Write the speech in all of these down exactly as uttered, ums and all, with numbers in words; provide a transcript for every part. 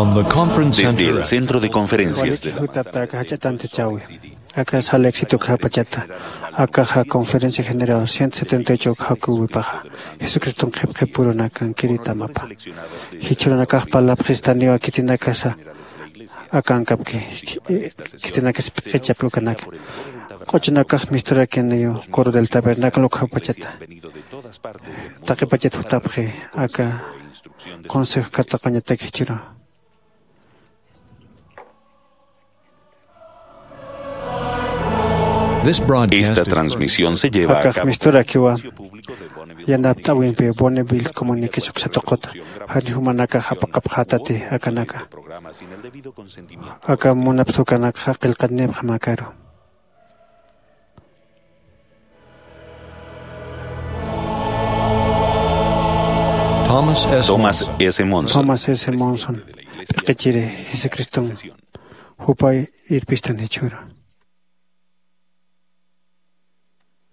Desde el Centro de Conferencias de la Manzana Verde, aka sala éxito ukxapachata, akaxa Conferencia General ciento setenta y ocho ukxakuwipaxa, Jesucriston qhipqhipurunakankiri tamapa. Jichhürunakax parlapxistaniwa khitinakasa akankapki, khitinakas p'ichapki ukanaka. Q'uchunakax misturakiniw Coro del Tabernáculo ukxapachata. Taqipachat jutapxi aka consejo katuqañatak jichhüru. Esta transmisión se lleva a cabo. Akax misturakiwa yanapt'äwimpi Bonneville Communication uksa tuquta. Jani jumanakax apaqapxätati akanaka. Aka munapxi ukanakxa qillqanipxam akaru. Thomas S. Monson. Thomas S. Monson, t'iqichiri Jesucriston, jupa irpistan jichhüru.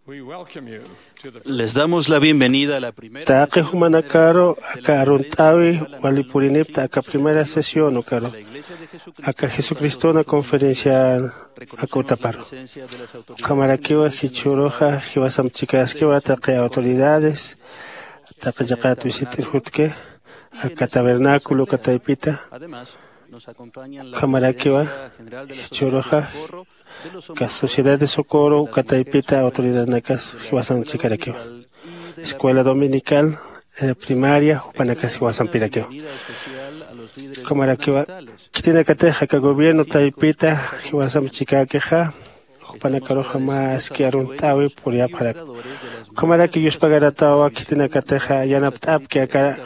We welcome you to the Les damos la bienvenida a la primera Taqi sesión jumanakaru aka arunt'äwi wali purinipta aka primera sesión ukaru, aka Jesucristona conferencia aka utaparu. Ukhamarakiwa jichhüruxa jiwasamp chikaskiwa taqi autoridades, taqi chiqat visit'ir jutki, aka tabernáculo uka taypita. Ukhamarakiwa jichhüruxa aka Sociedad de Socorro uka taypita autoridadnakas jiwasamp chikarakiwa. Escuela dominical, eh, primaria, jupanakas jiwasampirakiwa. Ukhamarakiwa khitinakatix aka gobierno taypita jiwasamp chikäkixa, jupanakaruxa maski arunt'äwi puriyapxaraki. Ukhamaraki yuspagaratawa khitinakatixa yanapt'apki aka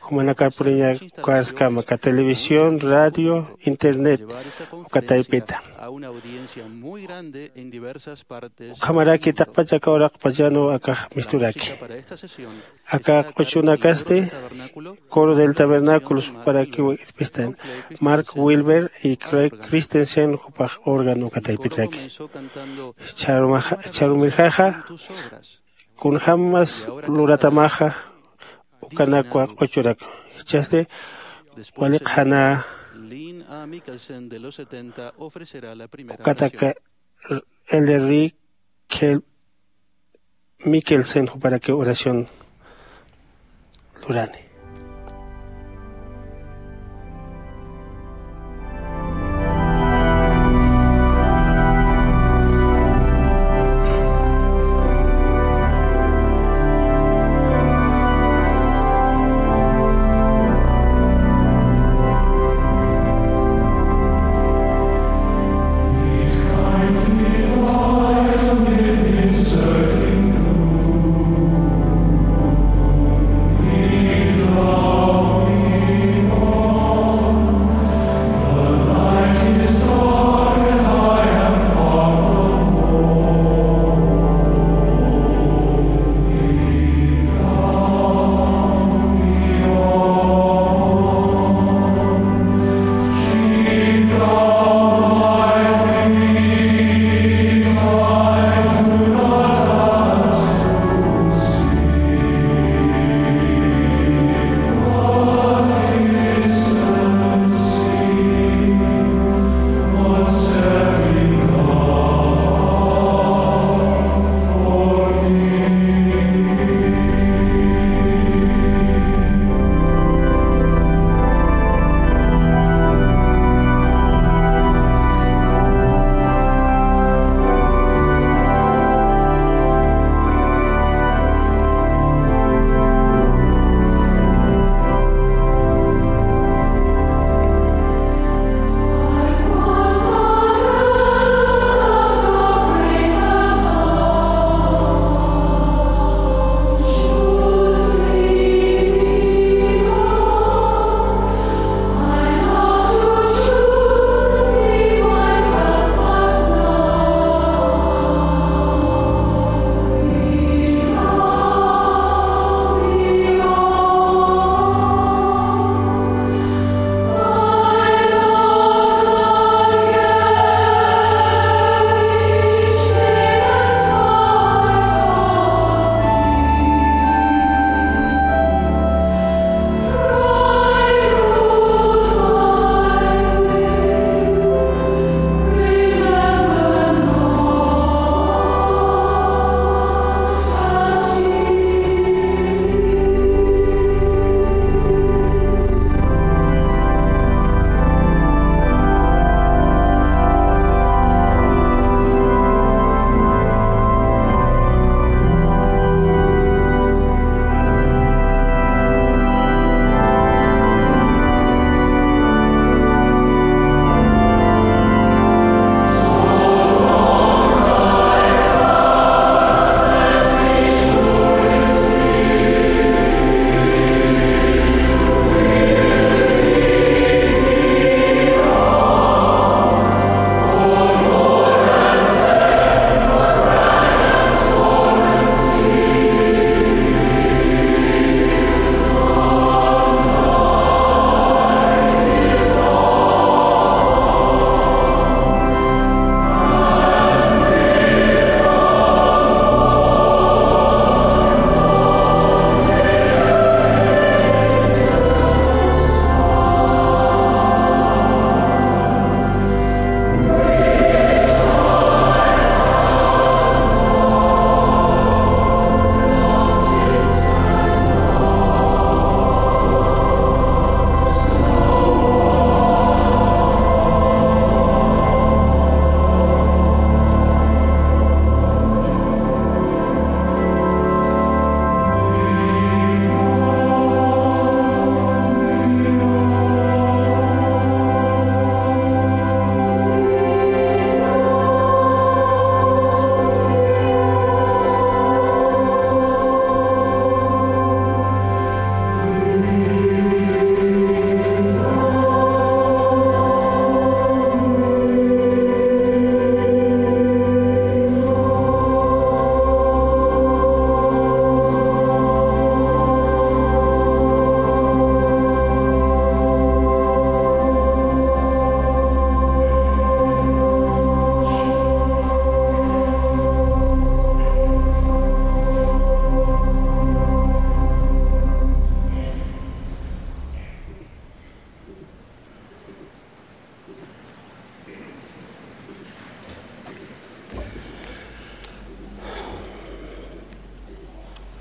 jumanakar puriñaskama aka televisión, radio, internet uka taypita. Ukhamaraki taqpach aka uraqpachanwa akax misturaki. Aka q'uchunakasti Coro del Tabernáculo juparaki irpistan, Mark Wilber y Craig Christensen jupax órgano uka taypitraki. Chharumaxa, chharumirxaxa kunjamas luratamaxa ukanakwa q'uchurak. Jichhasti wali qhana ukataka Elder Rick Mikkelsen juparaki oración lurani.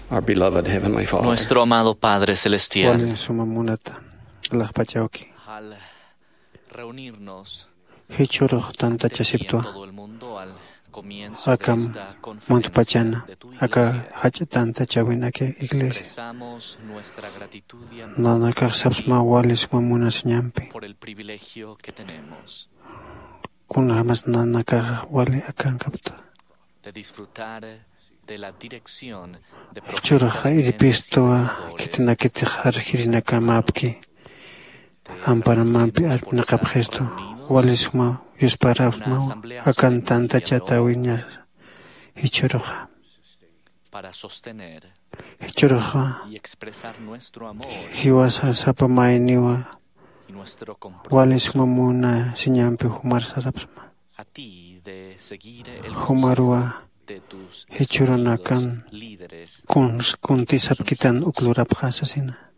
Our beloved Heavenly Father. Nuestro amado Padre Celestial. Wali suma munata, laqpachawki. Al reunirnos, jichhürux tantachasiptwa, en todo el mundo, al comienzo de esta conferencia de tu iglesia, aka jach'a tantachawinaki iglesia, expresamos nuestra gratitud y amor. Nanakax sapsma wali suma munasiñampi. Por el privilegio que tenemos. Kunjamas nanakax wali akankapta. De disfrutar de la dirección de profetas, jichhürux irpistwa, predicadores, khitinakatix arjirinakamapki, amparamampi arpnaqapxistu, wali suma yusparapxsmawa, akan tantachatäwiña, jichhüruxa. Para sostener, jichhüruxa, y expresar nuestro amor, jiwasa sapa mayniwa, y nuestro compromiso, wali suma munasiñampi jumar sarapxsma. A ti de seguir el, jumarwa, consejo de tus, jichhürunakan, espirituos líderes, kuns kuntisapkitan uk lurapxä sasina.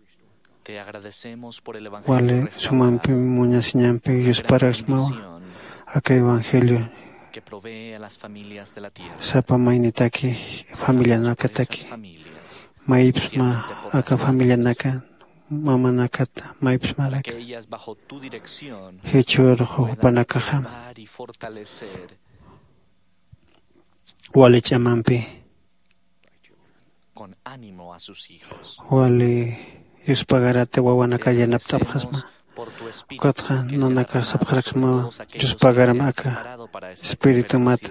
Te agradecemos por el evangelio, wali restaurado, sumampi munasiñampi yusparapxsmawa, gran bendición, aka evangelio, que provee a las familias de la tierra, sapa maynitaki, familianakataki, familias, maypsma, especialmente por aka las familianaka, mamanakata, maypsmaraki. Aquellas bajo tu dirección, jichhürux, puedan jupanakaxa, elevar y fortalecer, wali ch'amampi, con ánimo a sus hijos. Wali yuspagarata wawanaka yanapt'apxasma. Pedimos por tu espíritu, ukatxa, que se nanakax derrama sobre todos aquellos que se han preparado para esta conferencia. Sapxarakismawa, yuspagarama aka espiritumata,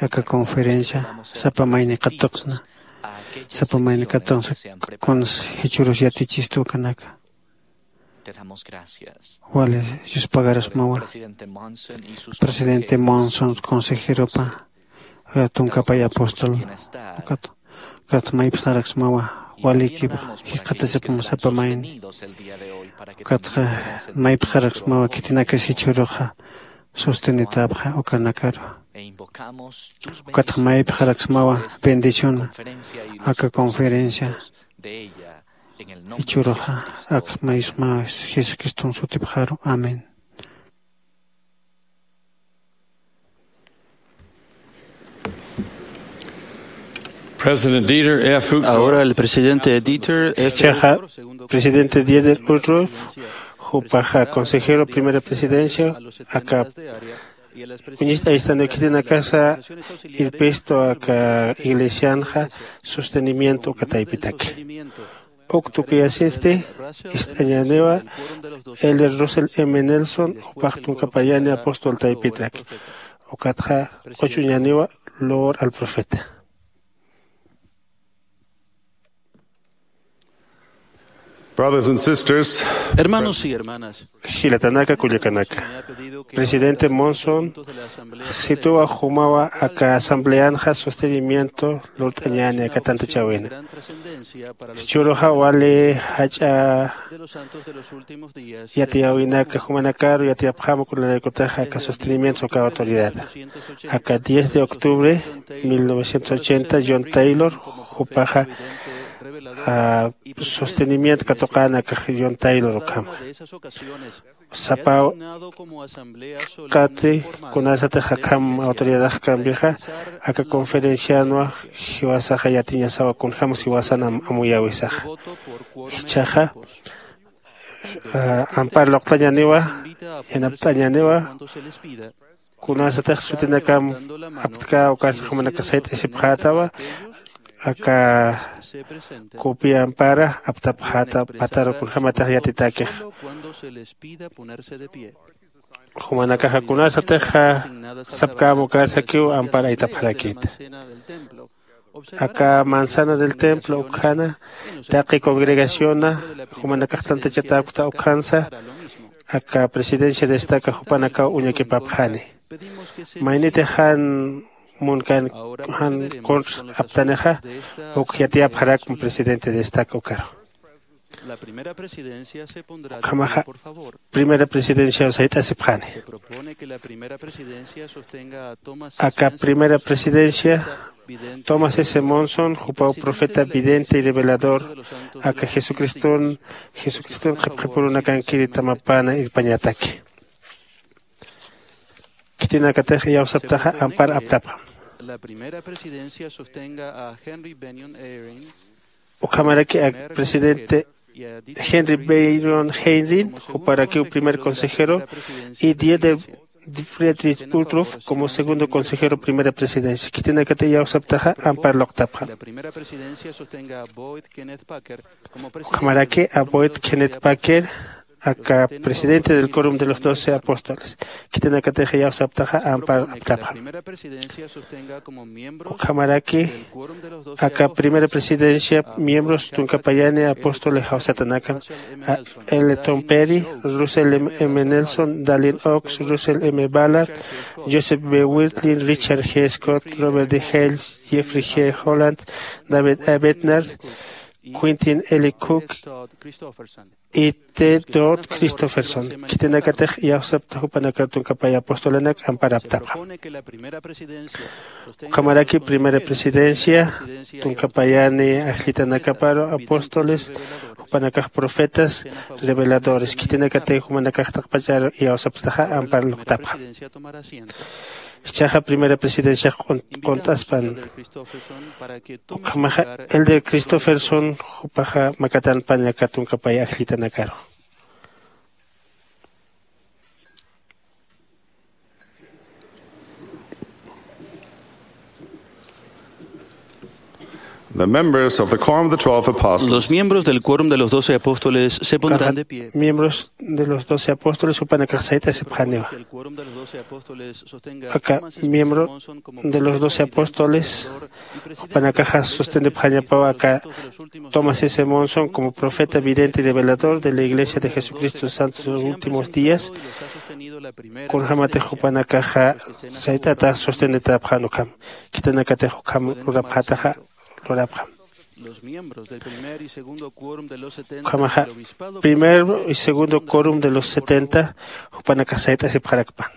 aka conferencia, sapa mayni katuqsna, sapa mayni katuqsna, kuns jichhürus yatichistu ukanaka. Te damos gracias. Wali yuspagarasmawa. Presidente Monson y sus, presidente consejeros, Monson, consejeropa, tunkapay apóstol, ukat, ukat maypxaraksmawa, walikipa jikxatasipxsma sapa mayni. Ukatxa maypxaraksmawa, khitinakas jichhüruxa sostenitäpxa ukanakaru. Ukatxa maypxaraksmawa bendición aka conferencia. Jichhüruxa ak maypxsma Jesucriston sutipxaru. Amén. President Dieter F. Uchtdorf. Ahora el presidente Dieter F. Chiqa, presidente Dieter Uchtdorf, jupaxa consejero primera presidencia, aka uñist'ay estando khitinakasa irpistu aka iglesianxa sostenimiento uka taypitaki. Uk tukuyasinsti ist'añäniwa Elder Russell M. Nelson, jupax tunkapayani apóstol taypitrak. Ukatxa q'uchuñäniwa Loor al Profeta. Brothers and sisters, hermanos y hermanas, jilatanaka, kullakanaka, presidente Monson situwa jumawa aka asambleanxa sostenimiento lurt'añäni aka tantachäwina. Jichhüruxa wali jach'a yatiyäwinaka jumanakaru yatiyapxäma kunalaykutix aka sostenimiento uka autoridad. Aka diez de octubre mil novecientos ochenta, John Taylor, jupaxa, ah, sostenimiento katuqäna aka John Taylor ukhama. Sapa qati kunasatix akham autoridadak kambixa, aka conferencianwa jiwasaxa yatiñasawa kunjämas jiwasan am-, amuyäwisaxa. Jichhaxa, ah, ampar luqtañäniwa, yanapt'añäniwa, kunasatix sutinakam aptkä ukarsa jumanakax sayt'asipxätawa, aka copia ampara aptapxäta pataru kunjämatix yatitäkix. Jumanakaxa kunasatix sapkäm ukarsakiw ampar aytapxarakïta. Aka manzana del templo ukhana, taqi congregaciona, jumanakax tantachatäkta ukhansa, aka presidencia destaca jupanakaw uñakipapxani. Mayniti jan munkan, jan contra aptanixa, uk yatiyapxarakma presidente destaca ukaru. Ukhamaxa, primera presidencia sayt'asipxani. Aka primera presidencia, Thomas S. Monson, jupaw profeta, vidente y revelador, aka Jesucriston, Jesucriston qhipqhipürunakankiri tamapana irpañataki. Khitinakatix iyawsaptaxa ampar aptapxam. La primera presidencia sostenga a Henry Bennion Eyring, Ukhamaraki ak presidente Henry Byron Heinrich, juparakiw primer consejero, y Dieter Friedrich Uchtdorf como segundo consejero, primera presidencia. Khitinakatix iyawsaptaxa ampar luqtapxam. Ukhamaraki a Boyd Kenneth Packer aka presidente del Quórum de los Doce Apóstoles. Khitinakatix iyawsaptaxa ampar aptapxam. Ukhamaraki aka primera presidencia miembros tunka payani apóstoles jawsatanakam, a L. Tom Perry, Russell M. Nelson, Dallin Oaks, Russell M. Ballard, Joseph B. Wirthlin, Richard G. Scott, Robert D. Hales, Jeffrey G. Holland, David A. Bednar, Quentin L. Cook y T. Todd Christofferson. Khitinakatix iyawsapta jupanakar tunka paya apostolanak ampar aptapxam. Ukhamaraki primera presidencia tunka payani ajllitanakaparu apóstoles, jupanakax profetas, reveladores. Khitinakatix jumanakax taqpachar iyawsaptaxa ampar luqtapxam. Jichhaxa primera presidenciax qunt'aspan. Ukhamaxa Elder Christofferson jupaxa makatanpañ aka tunka pay ajllitanakaru. The members of the Quorum of the Twelve Apostles. Los miembros del Quórum de los Doce Apóstoles se pondrán de pie. Miembros de los Doce Apóstoles jupanakax sayt'asipxaniwa. Aka miembro de los Doce Apóstoles jupanakaxa sostendipxañapaw aka Thomas S. Monson como profeta, vidente y revelador de la Iglesia de Jesucristo de los Santos de los Últimos Días. Kunjämatix jupanakaxa sayt'ata sostenditapxän ukham, khitinakatix ukham lurapxätaxa lurapxam. Ukhamaxa primer y segundo quórum de los setenta jupanakax sayt'asipxarakpan.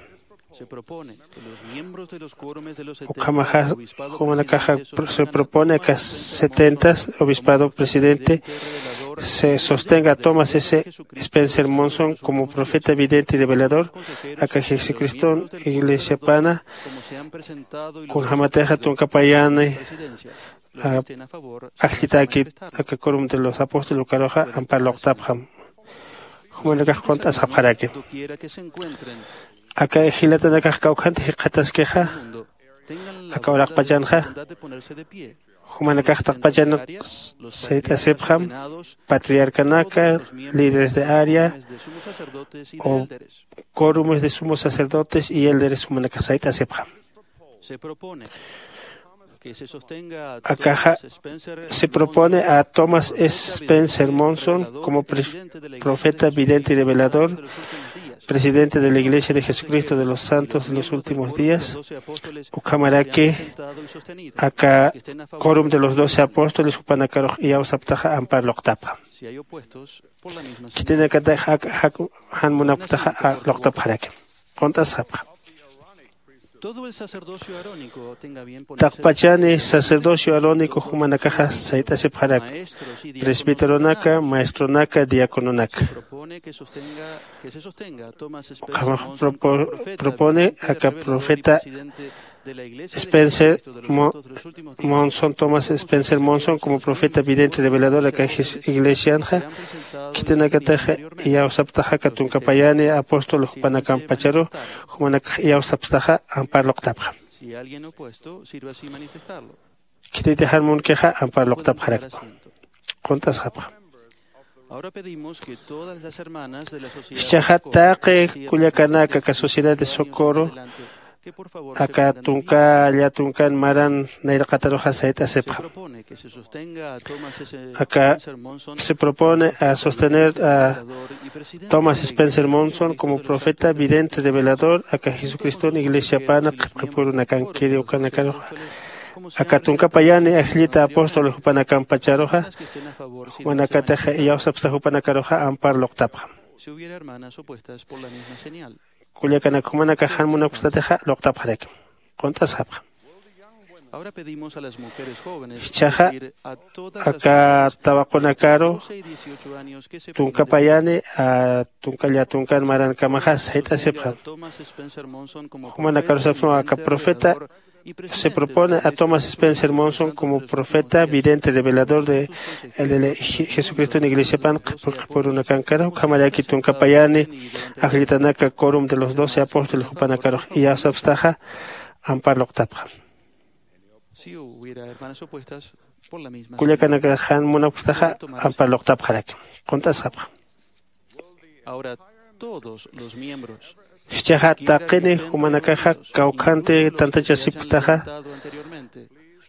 Ukhamaxa jumanakaxa se propone aka setenta obispado presidente se sostenga a Thomas S. Spencer Monson como profeta, vidente y revelador aka Jesucriston iglesiapana, kunjämatixa tunka payani ajllitäkit aka Quórum de los Apóstoles ukaruxa ampar luqtapxam. Jumanakax qunt'asxapxaraki. Aka jilatanakax kawkhantix jikxataskixa aka uraqpachanxa, jumanakax taqpachan sayt'asipxam, patriarcanaka, líderes de área o quórumes de sumos sacerdotes y élderes jumanakax sayt'asipxam. Akaxa se propone a Thomas S. Spencer Monson como pre- profeta, vidente y revelador, presidente de la Iglesia de Jesucristo de los Santos de los Últimos Días. Ukhamaraki aka Quórum de los Doce Apóstoles jupanakarux iyawsaptaxa ampar luqtapxam. Khitinakatix jan munapktaxa luqtapxaraki. Qunt'asxapxam. Taqpachani sacerdocio arónico jumanakaxa sayt'asipxarak, presbíteronaka, maestronaka, diacononaka. Ukhamax propone aka profeta Spencer Monson, Thomas Spencer Monson como profeta vidente revelador aka iglesianxa. Khitinakataxa iyawsaptaxa aka tunka payani apóstol jupanakampacharu, jumanakax iyawsapstaxa ampar luqtapxam. Khititix jan munkixa ampar luqtapxarakpa. Qunt'asxapxam. Jichhaxa taqi kullakanaka aka sociedad de socorro aka tunka llatunkan maran nayraqataruxa sayt'asipxam. Aka se propone a sostener a Thomas Spencer Monson como profeta vidente revelador aka Jesucriston iglesiapana qhipqipurunakankiri ukanakaruxa, aka tunka payani ajllita apóstol jupanakampacharuxa, jumanakatix iyawsapsta jupanakaruxa ampar luqtapxam. Kullakanak jumanakax jan munapkstatixa luqtapxarakim. Qunt'asxapxam. Jichhaxa aka tawaqunakaru tunkapayani tunka llatunkan marankamaxa sayt'asipxam. Jumanakarusapxam aka profeta se propone a Thomas Spencer Monson como profeta vidente revelador de jesucristo en iglesiapan qhipurunakankara ukhamaraki tunkapayani ajllitanaka corum de los doce apóstoles jupanakarux iyawsapstaxa ampar luqtapxam. Kullakanakax jan munapktaxa ampar luqtapxaraki. Qunt'asxapxam. Jichhaxa taqini jumanakaxa kawkhanti tantachasipktaxa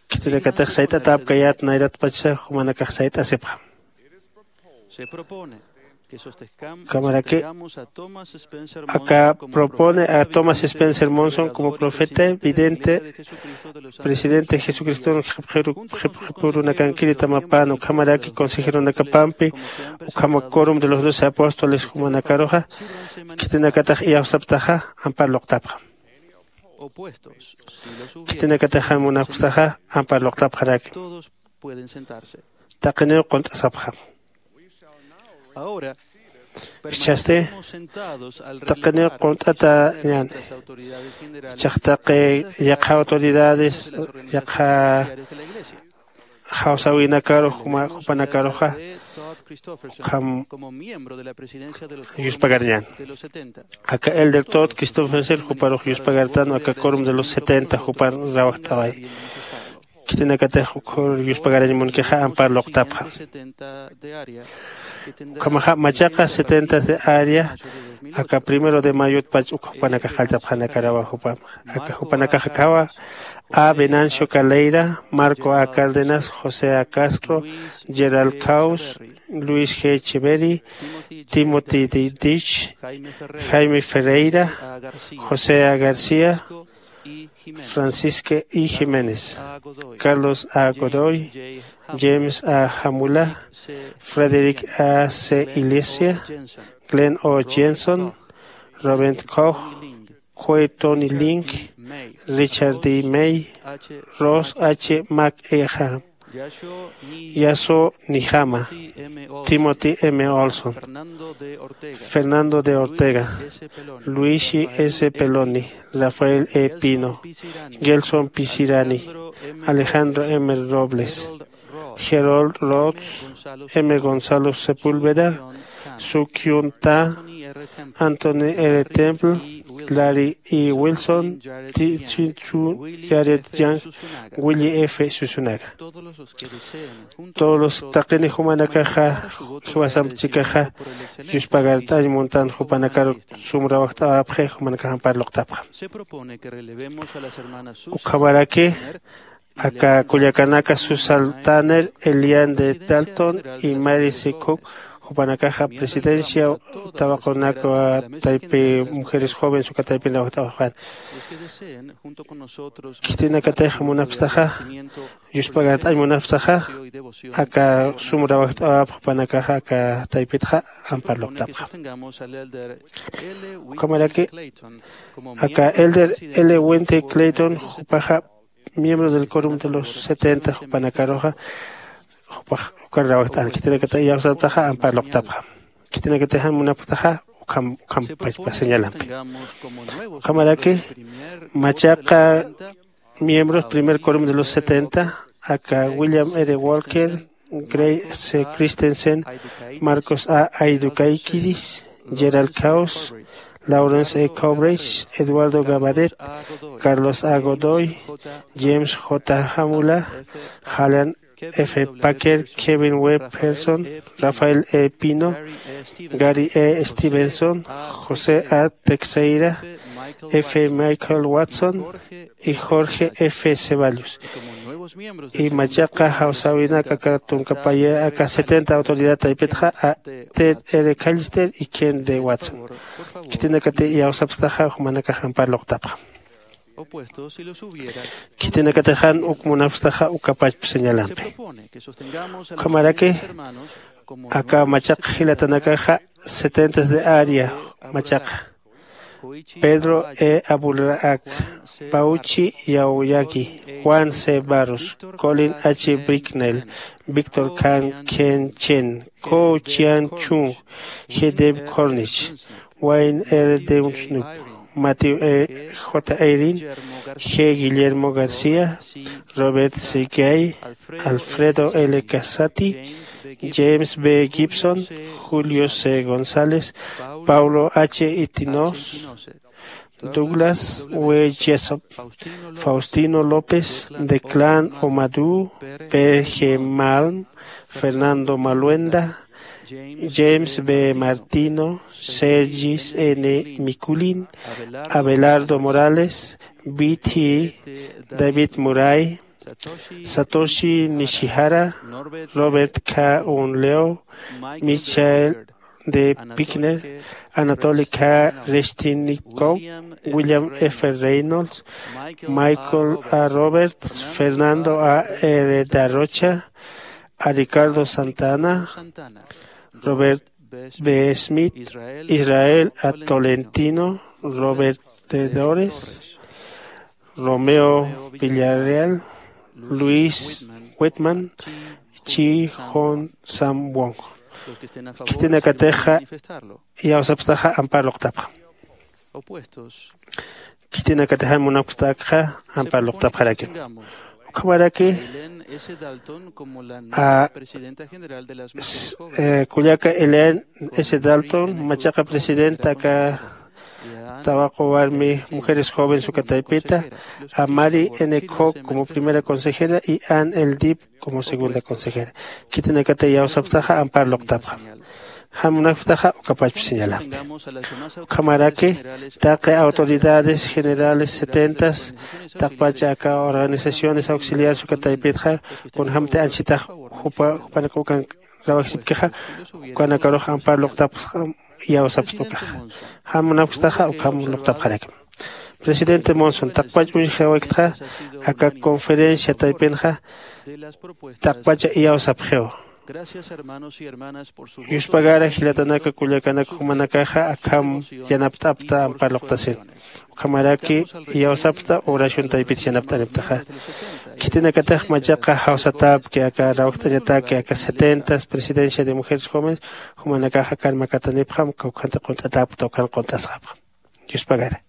khitinakatix sayt'atäpkayät nayratpachsa jumanakax sayt'asipxam. Ukhamaraki aka propone a thomas spencer monson como profeta vidente presidente jesucriston jipjirunakankiri tamapan ukhamaraki consejeronakapampi ukhama corum de los doce apóstoles jumanakaruxa khitinakatax iyawsaptaxa ampar luqtapxam. Khitinakatax jan munapktaxa ampar luqtapxaraki. Taqiniw qunt'asapxam. Jichhasti taqiniw qunt'atañäni. Jichhax taqi yaqha autoridades yaqha jawsäwinakaru jupanakaruxa ukham yuspagarañän. Aka elder todd christopherson juparux yuspagartan aka corum de los setenta jupan rawajt'away. Khitinakatix ukhur yuspagarañ munkixa ampar luqtapxam. Ukhamaxa machaqa setenta de área aka primero de mayotpach uk jupanakax qalltapxanakarawa jupam. Aka jupanakax akhawa a venancio caleira, marco a cárdenas, josé a castro, gerald caus, luis g cheveri, timothy d dich, jaime ferreira, josé a garcía, francisca i jiménez, carlos a godoy, james a jamula, frederick a c ilesia, glenn o jenson, robert koch, kuei tony link, richard d may, ross h mac ehan, yaso nihama, timothy m olson, fernando d ortega, luigi s peloni, rafael e pino, gelson pisirani, alejandro m robles, gerold rods, m gonzalo sepúlveda, su kyun ta, anthony r temple, larry e wilson, tsinchu, jared yang, willi f susunaga. Todos los taqini jumanakaxa jiwasamp chikaxa yuspagart'añ muntan jupanakar sum rawajt'awapxi jumanakax ampar luqtapxam. Ukhamaraki aka kullakanaka susan tanner, elian d dalton, y mary c cook jupanakaxa presidencia tawaqunaka taypi mujeres jóvenes uka taypin rawajt'awapxan. Khitinakatix munapktaxa yuspagart'añ munapktaxa aka sum rawajt'awapx jupanakaxa aka taypitxa ampar luqtapxam. Ukhamaraki aka elder l winter clayton jupaxa miembro del corum de los setenta jupanakaruxa jupax ukan rawajt'an khitinakata iyawsaptaxa ampar luqtapxam. Khitinakata jan munapktaxa ukham ukham pachpa señalampi. Ukhamaraki machaqa miembros primer corum de los setenta aka william r walker, gray c christensen, marcos a aidukaikiris, gerald caus, lawrence e coverage, eduardo gabaret, carlos a godoy, james j hamula, halan f packer, kevin w pearson, rafael e pino, gary e stevenson, josé a texeira, f michael watson, y jorge f ceballos. Y machaqa jawsäwinak aka tunkapaya aka setenta autoridad taypitxa a ted r callister y ken de watson. Khitinakati iyawsapktaxa jumanakax ampar luqtapxam. Khitinakatix jan uk munapktaxa ukapachp señalampi. Ukhamaraki aka machaq jilatanakaxa setentas de área machaqa Pedro E. Abulraak, Pauchi Yauyaki, Juan C. Barros, Colin H. Bricknell, Víctor Khan Ken Chen, Ko Chian Chung, G. Dave Cornish, Wayne R. Dewsnup, Matthew E. J. Eyring, G. Guillermo García, Robert C. Gay, Alfredo L. Casati, James B. Gibson, Julio C. González, Paulo H. Itinos, Douglas W. Jessop, Faustino López, Declan Omadú, P. G. Malm, Fernando Maluenda, James B. Martino, Sergis N. Mikulin, Abelardo Morales, B T, David Murray, Satoshi Nishihara, Robert K. Unleo, Michael D. Pickner, Anatoly K. Reshtinikov, William F. Reynolds, Michael A. Roberts, Fernando A. R. Darrocha, a Ricardo Santana, Robert B. Smith, Israel A. Tolentino, Robert T. Dores, Romeo Villarreal, Luis Whitman, Chi Hon Sam Wong. Khitinakatixa iyawsapxtaxa ampar luqtapxam. Khitinakatix jan munapxtakxa ampar luqtapxarakim. Ukhamaraki a kullaka Elaine S. Dalton, machaqa presidenta aka Tawaqu Warmi Mujeres Jóvenes uka taypita, a Mary N. Koch como primera consejera y Ann L. Deep como segunda consejera. Khitinakata iyawsapxtaxa ampar luqtapxam. Jan munapxtaxa ukapachpa señalampi. Ukhamaraki taqi autoridades generales setentas taqpacha aka organizaciones auxiliares uka taypitxa kunjämti anchitax jupa jupanak ukan rawajisipkixa, ukanakarux ampar luqtapxam iyawsapxta ukaxa. Jan munapxtaxa ukham luqtapxarakim. Presidente Monson, taqpach uñjawayktxa aka conferencia taypinxa taqpacha iyawsapxiw. Yuspagara jilatanaka kullakanaka jumanakaxa akham yanapt'apxta ampar luqtasin. Ukhamaraki iyawsapxta oración taypit yanapt'anipxtaxa. Khitinakatix machaqa jawsatäpki aka rawjt'añataki aka setentas presidencia de mujeres jóvenes, jumanakax akar makatanipxam, kawkhantix qunt'atäpxta ukhan qunt'asxapxam. Yuspagara.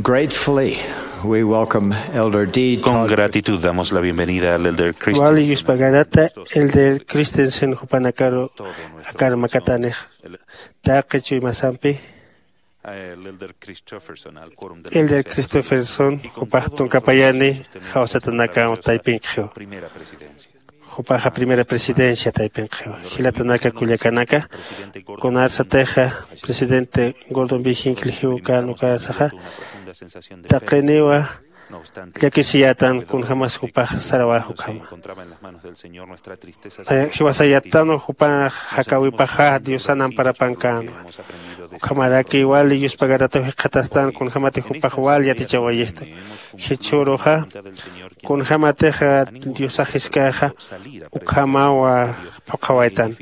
Gratefully, we welcome Elder D. Con gratitud damos la bienvenida al Elder Christensen. Wali yuspagarata Elder Christensen jupanakaru akar makatanix taqi chuymasampi. Elder Christopherson jupax tunkapayani jawsatanaka taypinkixiw. Jupaxa primera presidencia taypinkixiw. Jilatanaka kullakanaka, kunarsatixa presidente Gordon B. Hinckley jiwkan ukarsaxa taqiniwa llakisiyätan kunjämas jupax sarawä ukhama. Jiwasayätanwa jupax jakäwipaxa Diosan amparapankänwa. Ukhamaraki wali yuspagarataw jikxatastan kunjämatix jupax wal yatichawayistu. Jichhüruxa kunjämatix Diosax jiskäxa ukhamaw phuqhawaytan.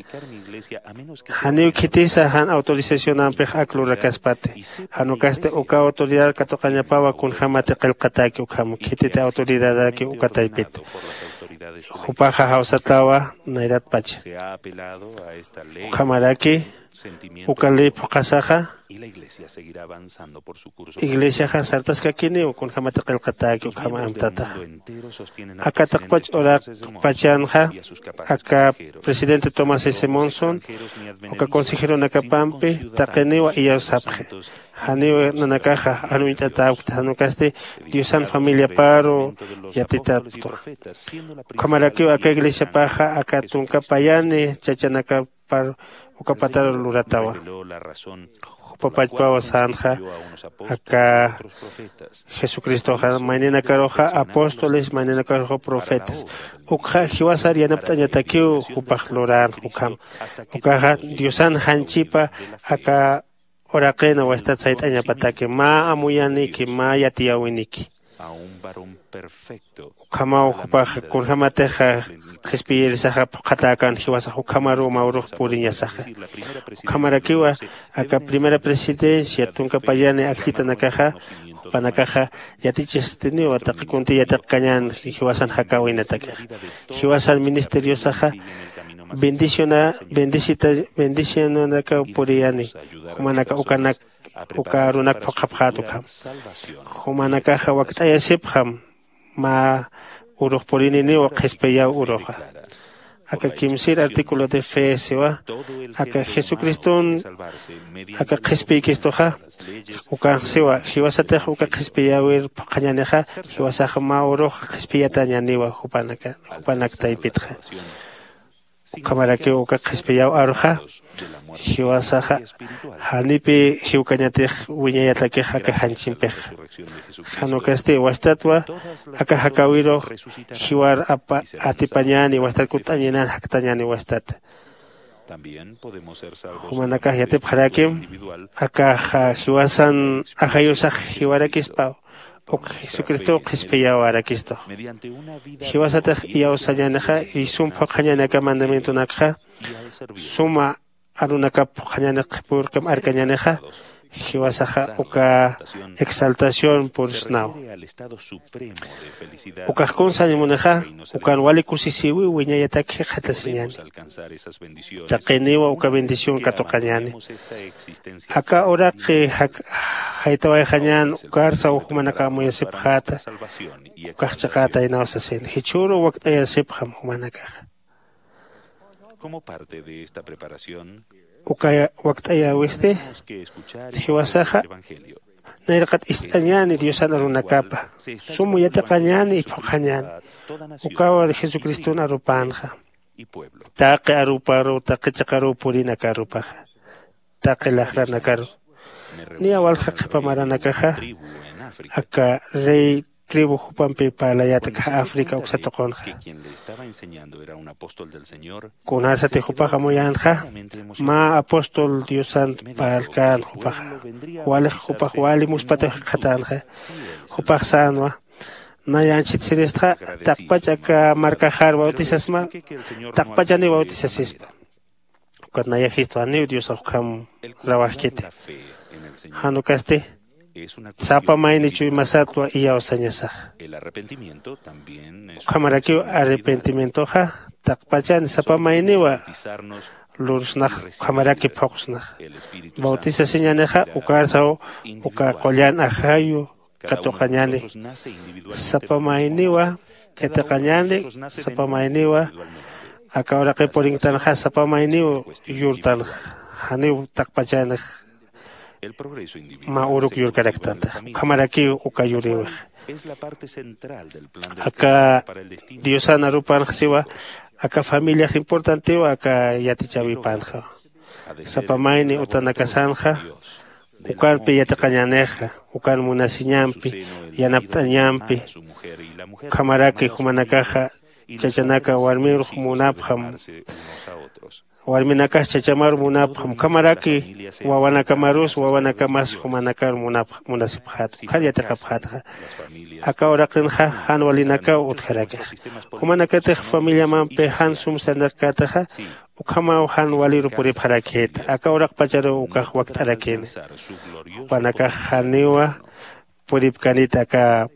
Janiw khitisa jan autorizacionampix ak lurakaspati. Jan ukasti uka autoridad katuqañapawa kunjämati qillqatäki ukham khititi autoridadaki uka taypit. Jupaxa jawsatawa nayratpacha. Ukhamaraki uka ley phuqhasaxa iglesiaxa sartaskakiniw kunjämati qillqatäki ukham amtataxa. Aka taqpach uraqpachanxa aka presidente Thomas S. Monson uka consejeronakapampi taqiniwa iyawsapxi. Janiw nanakaxa jan uñt'atäpkta, jan ukasti diosan familiaparu yatitäpkta. Ukhamarakiw aka iglesiapaxa aka tunka payani chachanakapar uka patar luratawa. Jupa pachpaw sänxa aka jesucristoxa mayninakaruxa apóstoles, mayninakaruxa profetas. Ukxa jiwasar yanapt'añatakiw jupax lurän ukham. Ukaxa diosan janchipa aka uraqin wastat sayt'añapataki mä amuyaniki mä yatiyäwiniki. Ukhamaw jupax kunjämatix qhispiyirisaxa phuqhatäkän jiwasax ukhamaruw mä urux puriñasaxa. Ukhamarakiwa aka primera presidencia tunka payani ajllitanakaxa jupanakaxa yatichistiniwa taqi kunti yatiqkañän jiwasan jakäwinatakixa. Jiwasan ministeriosaxa bendiciona bendicita bendicionanakaw puriyani. Jumanaka ukanak uka arunak phuqhapxät ukham. Jumanakaxa wakt'ayasipxam mä urux purininiw qhispiyäw uruxa. Aka kimsir artículo de fe siwa aka jesucriston aka qhispiykistuxa. Ukanx siwa jiwasatix uka qhispiyäwir phuqhañänixa jiwasax mä urux qhispiyatañäniwa jupanak taypitxa. Ukhamarakiw uka qhispiyäw aruxa jiwasaxa janipï jiwkañatix wiñayatakix aka janchimpixa. Jan ukasti wastatwa aka jakäwirux jiwar atipañäni wastat kutt'añanan jaktañäni wastat. Jumanakax yatipxarakim akax jiwasan ajayusax jiwarakispa uk jesucristow qhispiyäwarakistu. Jiwasatix iyawsañänixa y sum phuqhañäni aka mandamientonakxa suma arunakap phuqhañäni qhipürqim arkañänixa jiwasaxa uka exaltación pursnaw. Ukax kun sañ munixa ukan wali kusisiwi wiñayatak jikxatasiñäni. Taqiniwa uka bendición katuqañäni. Aka uraqi jaytawayxañän ukarsaw jumanaka amuyasipxäta ukax chiqätaynaw sasina jichhüruw wakt'ayasipxam jumanakaxa. Uka wakt'ayäwisti jiwasaxa nayraqat ist'añäni diosan arunakapa sum yatiqañäni phuqhañäni. Ukaw jesucriston arupänxa taqi aruparuw taqi chiqaruw purina aka arupaxa taqi laxranakaru. Niya walja qhipa maranakaxa aka rey tribu jupampi parlayät akxa africa uksa tuqunxa. Kunarsati jupax amuyänxa mä apóstol diosan parlkän jupaxa walix jupax wali muspataw jikxatänxa. Jupax sänwa nayanchit siristxa taqpach aka markaxar bautisasma taqpachaniw bautisasispa. Ukat nayajistwa janiw diosax ukham rawajkiti. Jan ukasti sapa mayni chuymasatwa iyawsañasaxa. Ukhamarakiw arrepentimientoxa taqpachani sapa mayniwa lursnax ukhamaraki phuqsnax. Bautisasiñänixa ukarsaw uka qullan ajayu katuqañäni. Sapa mayniwa yatiqañäni sapa mayniwa aka uraqi purinktanxa sapa mayniw yurtanxa. Janiw taqpachanix mä uruk yurkaraktantax ukhamarakiw uka yuriwix. Aka diosan arupanxa siwa aka familiax importantiwa aka yatichäwipanxa. Sapa mayni utanakasanxa ukanpi yatiqañänixa ukan munasiñampi yanapt'añampi. Ukhamaraki jumanakaxa chachanaka warmirux munapxam warminakax chachamar munapxam ukhamaraki wawanakamarus wawanakamas jumanakar munasipxäta ukhar yatiqapxätxa. Aka uraqinxa jan walinakaw utjarakixa. Jumanakatix familiamampi jan sum sarnaqkätaxa ukhamaw jan waliru puripxarakïta aka uraqpacharuw ukax wakt'arakini. Jupanakax janiwa puripkanita aka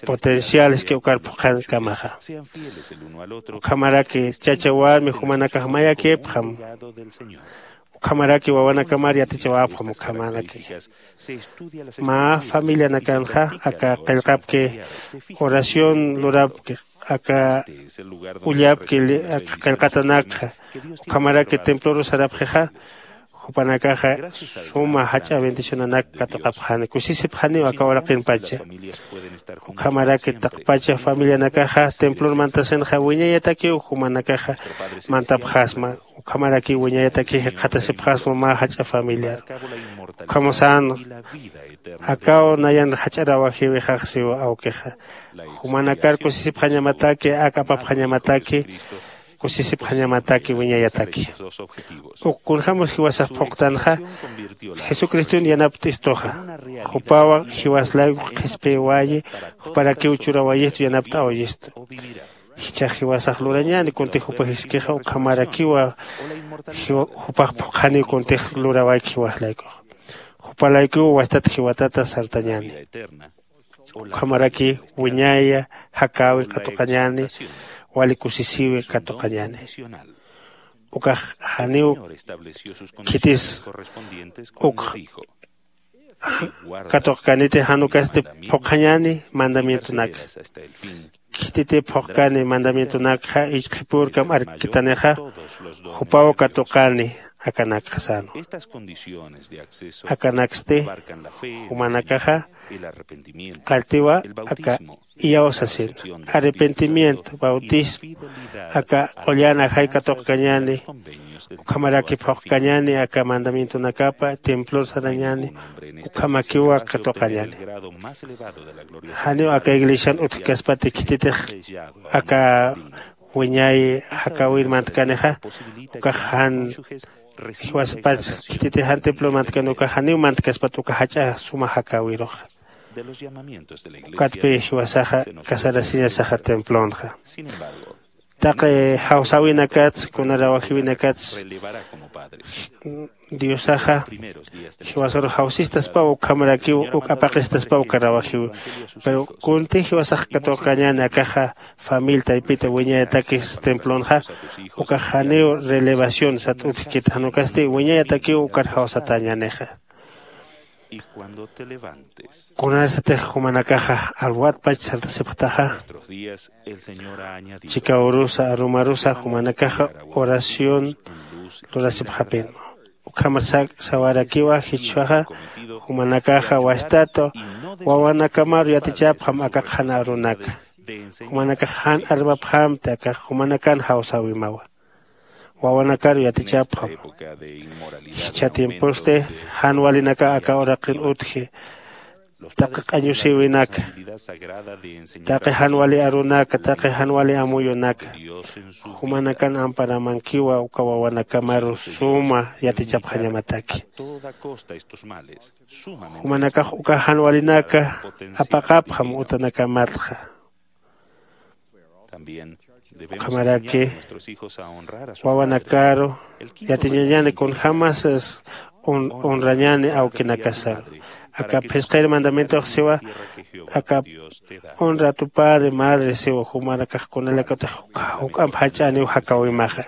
potenciales que ukar phuqhankamaxa. Ukhamaraki chacha warmi jumanakax mayakipxam ukhamaraki wawanakamar yatichawapxam ukhamaraki. Mä familianakanxa aka qillqapki oración lurapki aka ullapki aka qillqatanakxa ukhamaraki temploru sarapxixa. Jupanakaxa suma jach'a bendicionanak katuqapxani kusisipxaniw aka uraqinpacha. Ukhamaraki taqpacha familianakaxa templon mantasinxa wiñayatakiw jumanakaxa mantapxasma. Ukhamaraki wiñayataki jikxatasipxasma mä jach'a familiar. Ukhamusan akaw nayan jach'arawajiwixaxsiw awkixa. Jumanakar kusisipxañamataki ak apapxañamataki kusisipxañamataki wiñayataki. Uk kunjämus jiwasax phuqtanxa jesucriston yanapt'istuxa. Jupaw jiwas layku qhispiwayi juparakiw churawayistu yanapt'awayistu. Jichhax jiwasax lurañäni kunti jupa jiskixa ukhamarakiwa jupax phuqhaniw kuntix lurawayki jiwas laykuxa. Jupa laykuw wastat jiwatata sartañäni. Ukhamaraki wiñaya jakäwi katuqañäni wali kusisiwi katuqañäni. Ukax janiw khitis uk katuqkaniti jan ukasti phuqhañäni mandamientonaka. Khititi phuqkani mandamientonakxa ichqhipürkam arkitanixa jupaw katuqani akanakxa sänwa. Akanaksti jumanakaxa qalltiwa aka iyaw sasin arrepentimiento bautismo aka qullan ajay katuqkañäni. Ukhamaraki phuqkañäni aka mandamientonakapa templor sarañäni. Ukhamakiwa katuqañäni. Janiw aka iglesian utjkaspati khititix aka wiñay jakäwir mantkanixa ukax jan jiwasapach khititix jan templon mantkani ukax janiw mantkaspat uka jach'a suma jakäwiruxa. Ukatpi jiwasaxa casarasiñasaxa templonxa. Taqi jawsäwinakats kuna rawajiwinakats diosaxa jiwasarux jawsistaspaw ukhamarakiw uk apaqistaspawka rawajiw. Pero kunti jiwasax katuqkañäni akaxa famil taypita wiñayatakis templonxa ukax janiw relevación sat utjkit jan ukasti wiñayatakiw ukar jawsatäñänixa. Kunarsatix jumanakaxa alwatpach sartasipxtaxa chikaw urusa arumarusa jumanakaxa oración lurasipxapin. Ukhamar sawarakiwa jichhwaxa jumanakaxa wastatu wawanakamaru yatichapxam aka qhana arunaka. Jumanakax jan armapxamti akax jumanakan jawsäwimawa. Wawanakaru yatichapxam. Jichha tiemposti jan walinaka aka uraqin utji taqi q'añusïwinaka taqi jan wali arunaka taqi jan wali amuyunaka jumanakan amparamankiwa uka wawanakamaru suma yatichapxañamataki. Jumanakax uka jan walinaka apaqapxam utanakamatxa. Ukhamaraki wawanakaru yatiñañäni kunjämas honrañäni awkinakasaru. Aka phisqir mandamientox siwa aka honra tu padre madre siwa jumanakax kunalakatix juk'amp jach'aniw jakäwimaxa.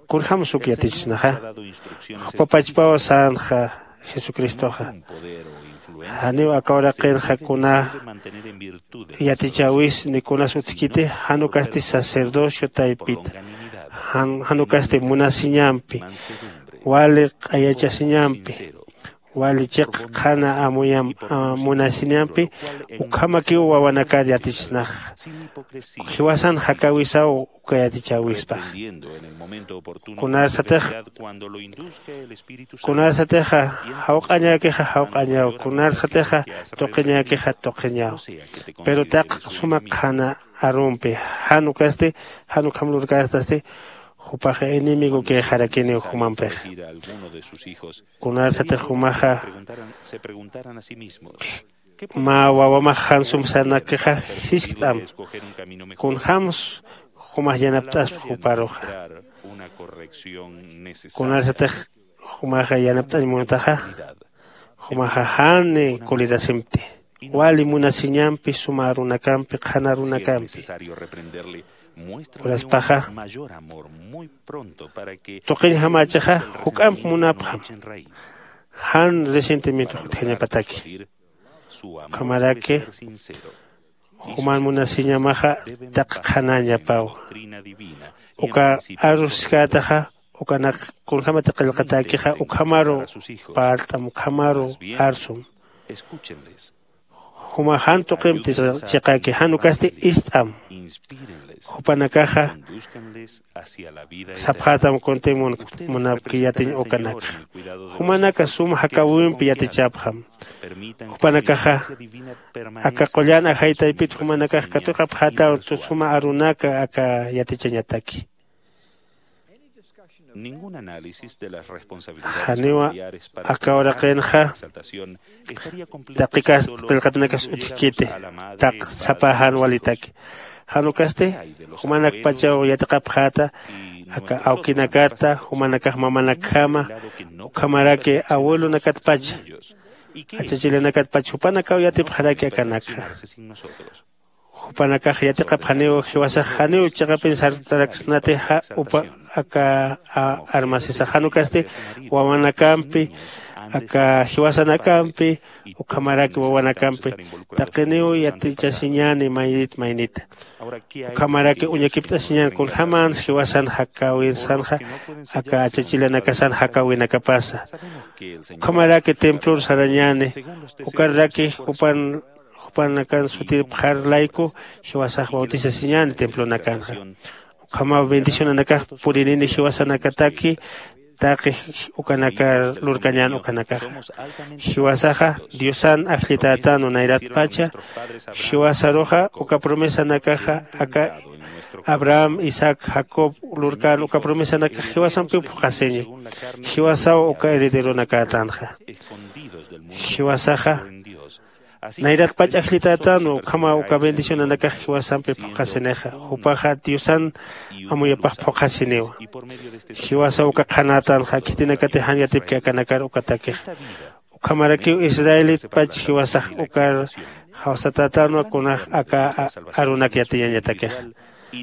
Kunjämas uk yatichisnaxa jupapachpaw sänxa jesucristoxa. Janiw aka uraqinxa kuna yatichäwis ni kunas utjkiti jan ukasti sacerdocio taypita jan ukasti munasiñampi wali q'ayachasiñampi wali chiq qhana amuyam munasiñampi ukhamakiw wawanakar yatichisnaxa. Jiwasan jakäwisaw uka yatichäwispax. Kunarsatix kunarsatixa jawq'añäkixa jawq'añaw kunarsatixa tuqiñäkixa tuqiñaw. Pero taq suma qhana arumpi jan ukasti jan ukham lurkästasti jupaxa enemigokïxarakiniw jumampixa. Kunarsatix jumaxa mä wawamax jan sumsanakixa jiskt'am kunjäms jumax yanapt'aspa juparuxa. Kunarsatix jumaxa yanapt'añ muntaxa jumaxa jan kulirasimpti wali munasiñampi suma arunakampi qhana arunakampi. Uraspaxa tuqiñjamächixa juk'amp munapxam jan resentimiento jutjañapataki. Ukhamaraki juman munasiñamaxa taq qhanäñapaw uka arusiskätaxa ukanak kunjämati qillqatäkixa ukhamaru parlt'am, ukhamaru arsum. Juma jan tuqimp chiqäki, jan ukasti ist'am. Jupanakaxa sapxätam kunti munapki yatiñ ukanakxa. Jumanaka sum jakäwimpi yatichapxam. Jupanakaxa aka qullan ajay taypit jumanakax katuqapxätaw suma arunaka aka yatichañataki. Janiwa aka uraqinxa taqikas qillqatanakas utjkiti, taq sapa jan walitaki. Jan ukasti jumanakpachaw yatiqapxäta aka awkinakata, jumanakax mamanakjama, ukhamaraki abuelonakatpacha, achachilanakatpacha jupanakaw yatipxaraki akanakxa. Jupanakax yatiqapxaniw jiwasax janiw chiqapin sartaraksnatixa upa aka armasisax, jan ukasti wawanakampi, aka jiwasanakampi, ukhamaraki wawanakampi taqiniw yatichasiñäni maynit maynita. Ukhamaraki uñakipt'asiñän kunjämans jiwasan jakäwinsanxa aka achachilanakasan jakäwinakapasa. Ukhamaraki templor sarañäni, ukaraki jupan jupanakan sutipxar layku jiwasax bautisasiñäni templonakanxa. Ukhamaw bendicionanakax purinini jiwasanakataki taqi ukanakar lurkañän ukanakaxa. Jiwasaxa Diosan ajllitätanwa nayratpacha. Jiwasaruxa uka promesanakaxa aka Abraham, Isaac, Jacob lurkän uka promesanakax jiwasampiw phuqhasiña. Jiwasaw uka herederonakatänxa. Jiwasaxa nayratpach ajllitätanwa, ukhamaw uka bendicionanakax jiwasampi phuqhasinixa. Jupaxa Diosan amuyapax phuqhasiniwa. Jiwasaw uka qhanätanxa, khitinakati jan yatipki akanakar ukatakixa. Ukhamarakiw israelitpach jiwasax ukar jawsatätanwa kunax aka arunak yatiñañatakixa.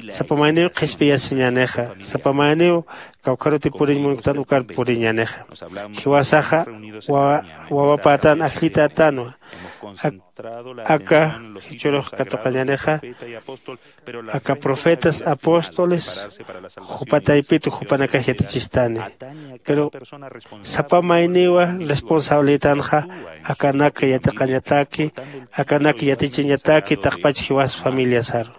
Sapa mayniw qhispiyasiñänixa, sapa mayniw kawkharuti puriñ munktan ukar puriñänixa. Jiwasaxa wawapätan ajllitätanwa. Aka jichhürux katuqañänixa, aka profetas, apóstoles jupa taypitu jupanakax yatichistani. Pero sapa mayniwa responsabilitanxa akanak yatiqañataki, akanak yatichañataki taqpach jiwas familiasaru.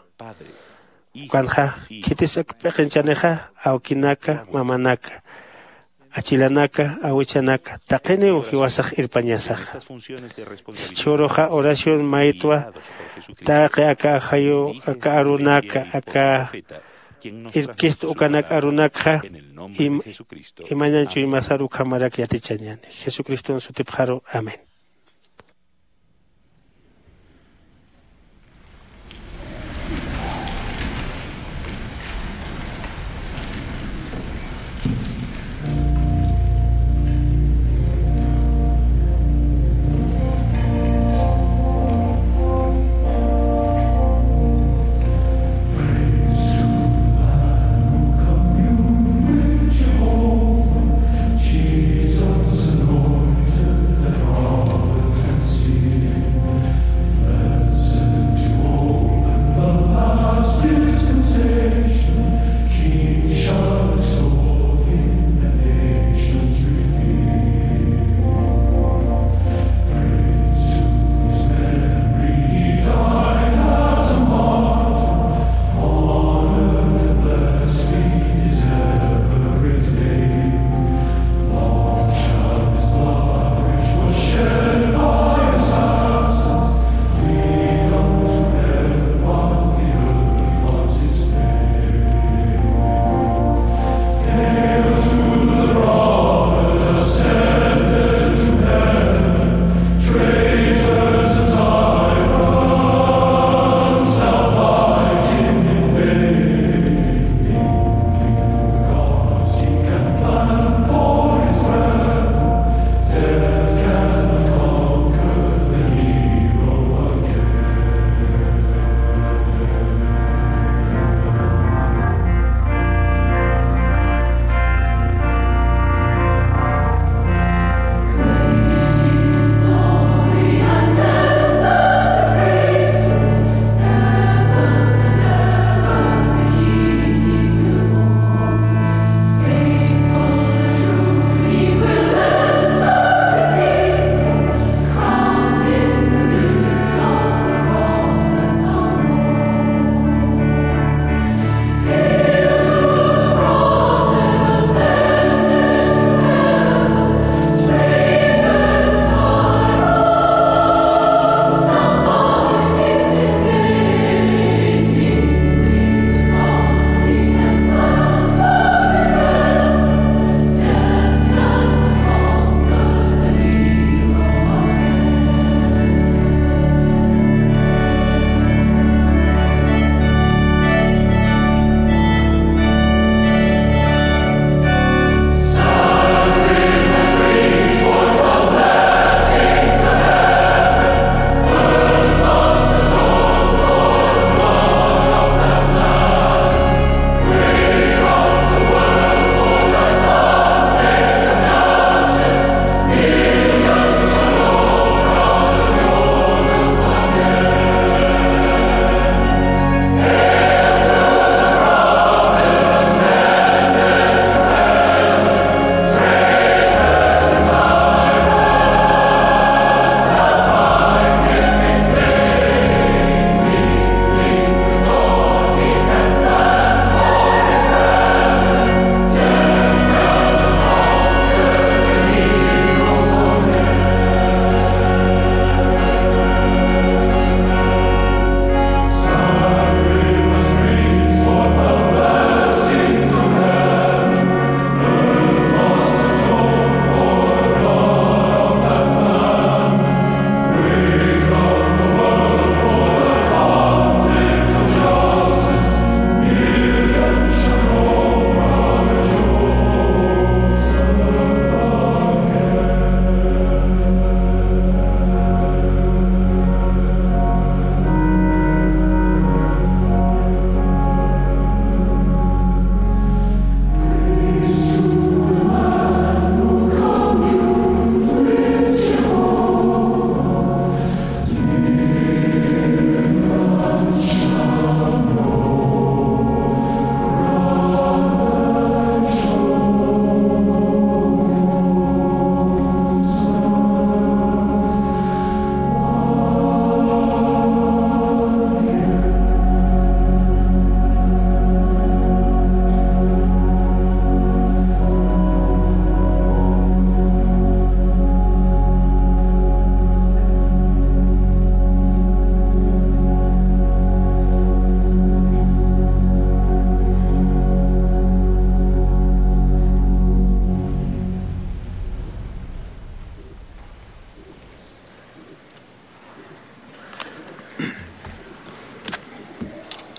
Ukanxa khitis p'iqinchanixa, awkinaka, mamanaka, achilanaka, awichanaka taqiniw jiwasax irpañasaxa. Jichhüruxa oración maytwa taqi aka ajayu, aka arunaka, aka irpkistu ukanak arunakxa imañan chuymasar ukhamarak yatichañäni. Jesucriston sutipxaru, amén.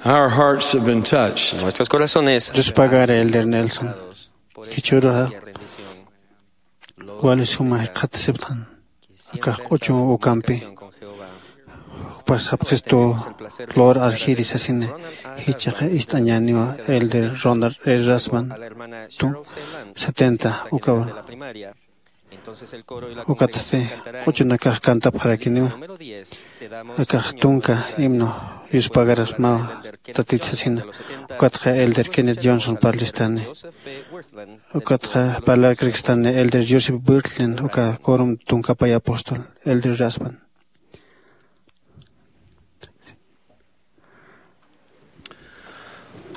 Our hearts have been touched. Nuestros corazones han sido tocados por esta alegre rendición. Jichhüruxa wali suma jikxatasipxtan. Akax q'uchum ukampi jupas sapxistu lor arjiri sasina. Jichhaxa ist'añäniwa Elder Ronald E. Rasband tu setenta ukawa. Ukatsti q'uchunakax cantapxarakiniwa. Akax tunka himno yuspagarasmawa tatit sasina. Ukatxa Elder Kenneth Johnson parlistani. Ukatxa parlarkrakistani Elder Joseph Wirthlin uka corom tunkapay apóstol Elder Rasband.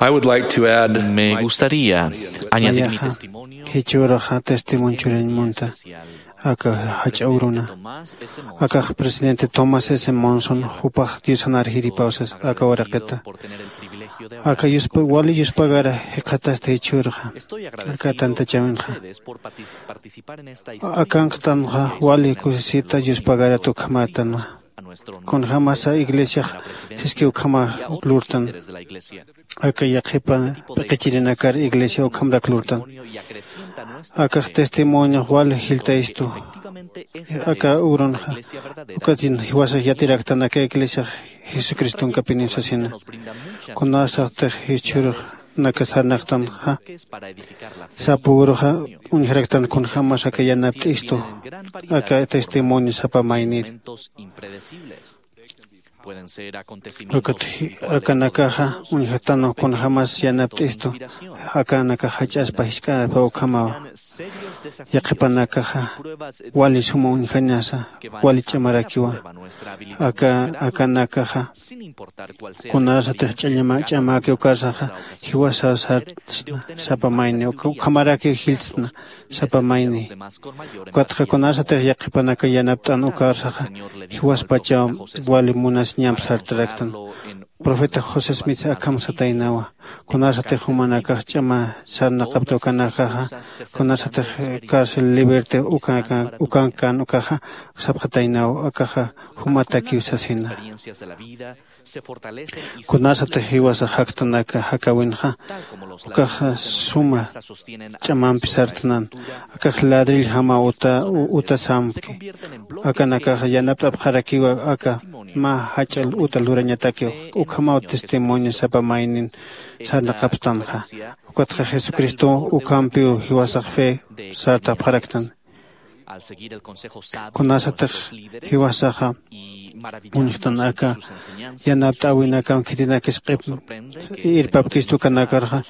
I would like to add. Me gustaría añadir mi testimonio. Jichhüruxa testimonio churañ munta. Aka jach'a uruna. Akax presidente Thomas S. Monson jupax Diosan arjiripaw sas aka uraqita. Aka yuspa wali yuspagara jikxatasta jichhüruxa. Aka tantachäwinxa. Akanktanxa wali kusisita yuspagarat ukhamätanwa. Kunjämasa iglesiax siski ukhama lurtan. Aka yaqhipa p'iqichirinakar iglesia ukhamrak lurtan. Akax testimoniox wali jilltayistu. Aka urunxa ukatin jiwasax yatiraktan aka iglesiax jesucristonkapiniw sasina. Kunasaxtix jichhürux naka sarnaqtanxa sapa uruxa uñjaraktan kunjämas aka yanapt'istu aka testimonio sapa maynir. Ukat akanakaxa uñjatanu kunjämas yanapt'istu akanakax jach'aspa jisk'aspa ukhamawa. Yaqhipanakaxa wali suma uñjañasa wali ch'amarakiwa. Aka akanakaxa kunasatix ch'añama ch'amäki ukarsaxa jiwasaw sartsna sapa mayni ukhamarakiw jilltsna sapa mayni. Ukatxa kunasatix yaqhipanaka yanapt'an ukarsaxa jiwaspachaw wali munasiñamp sartaraktan. Profeta José Smith akham sataynawa. Kunasatix jumanakax ch'ama sarnaqapta ukanakaxa kunasatix cárcel liberte ukankan ukaxa sapxataynaw akaxa jumatakiw sasina. Kunasatix jiwasax jaktanaka jakäwinxa ukaxa suma ch'amampi sartnan. Akax ladrilljama uta utasampki. Akanakax yanapt'apxarakiwa aka mä jach'a uta lurañatakiw. Ukhamaw testimonio sapa maynin sarnaqapxtanxa. Ukatxa jesucristo ukhampiw jiwasax fe sartapxaraktan. Kunasatix jiwasaxa uñjtan aka yanapt'äwinakam khitinakis q'ip irpapkistu ukanakarxa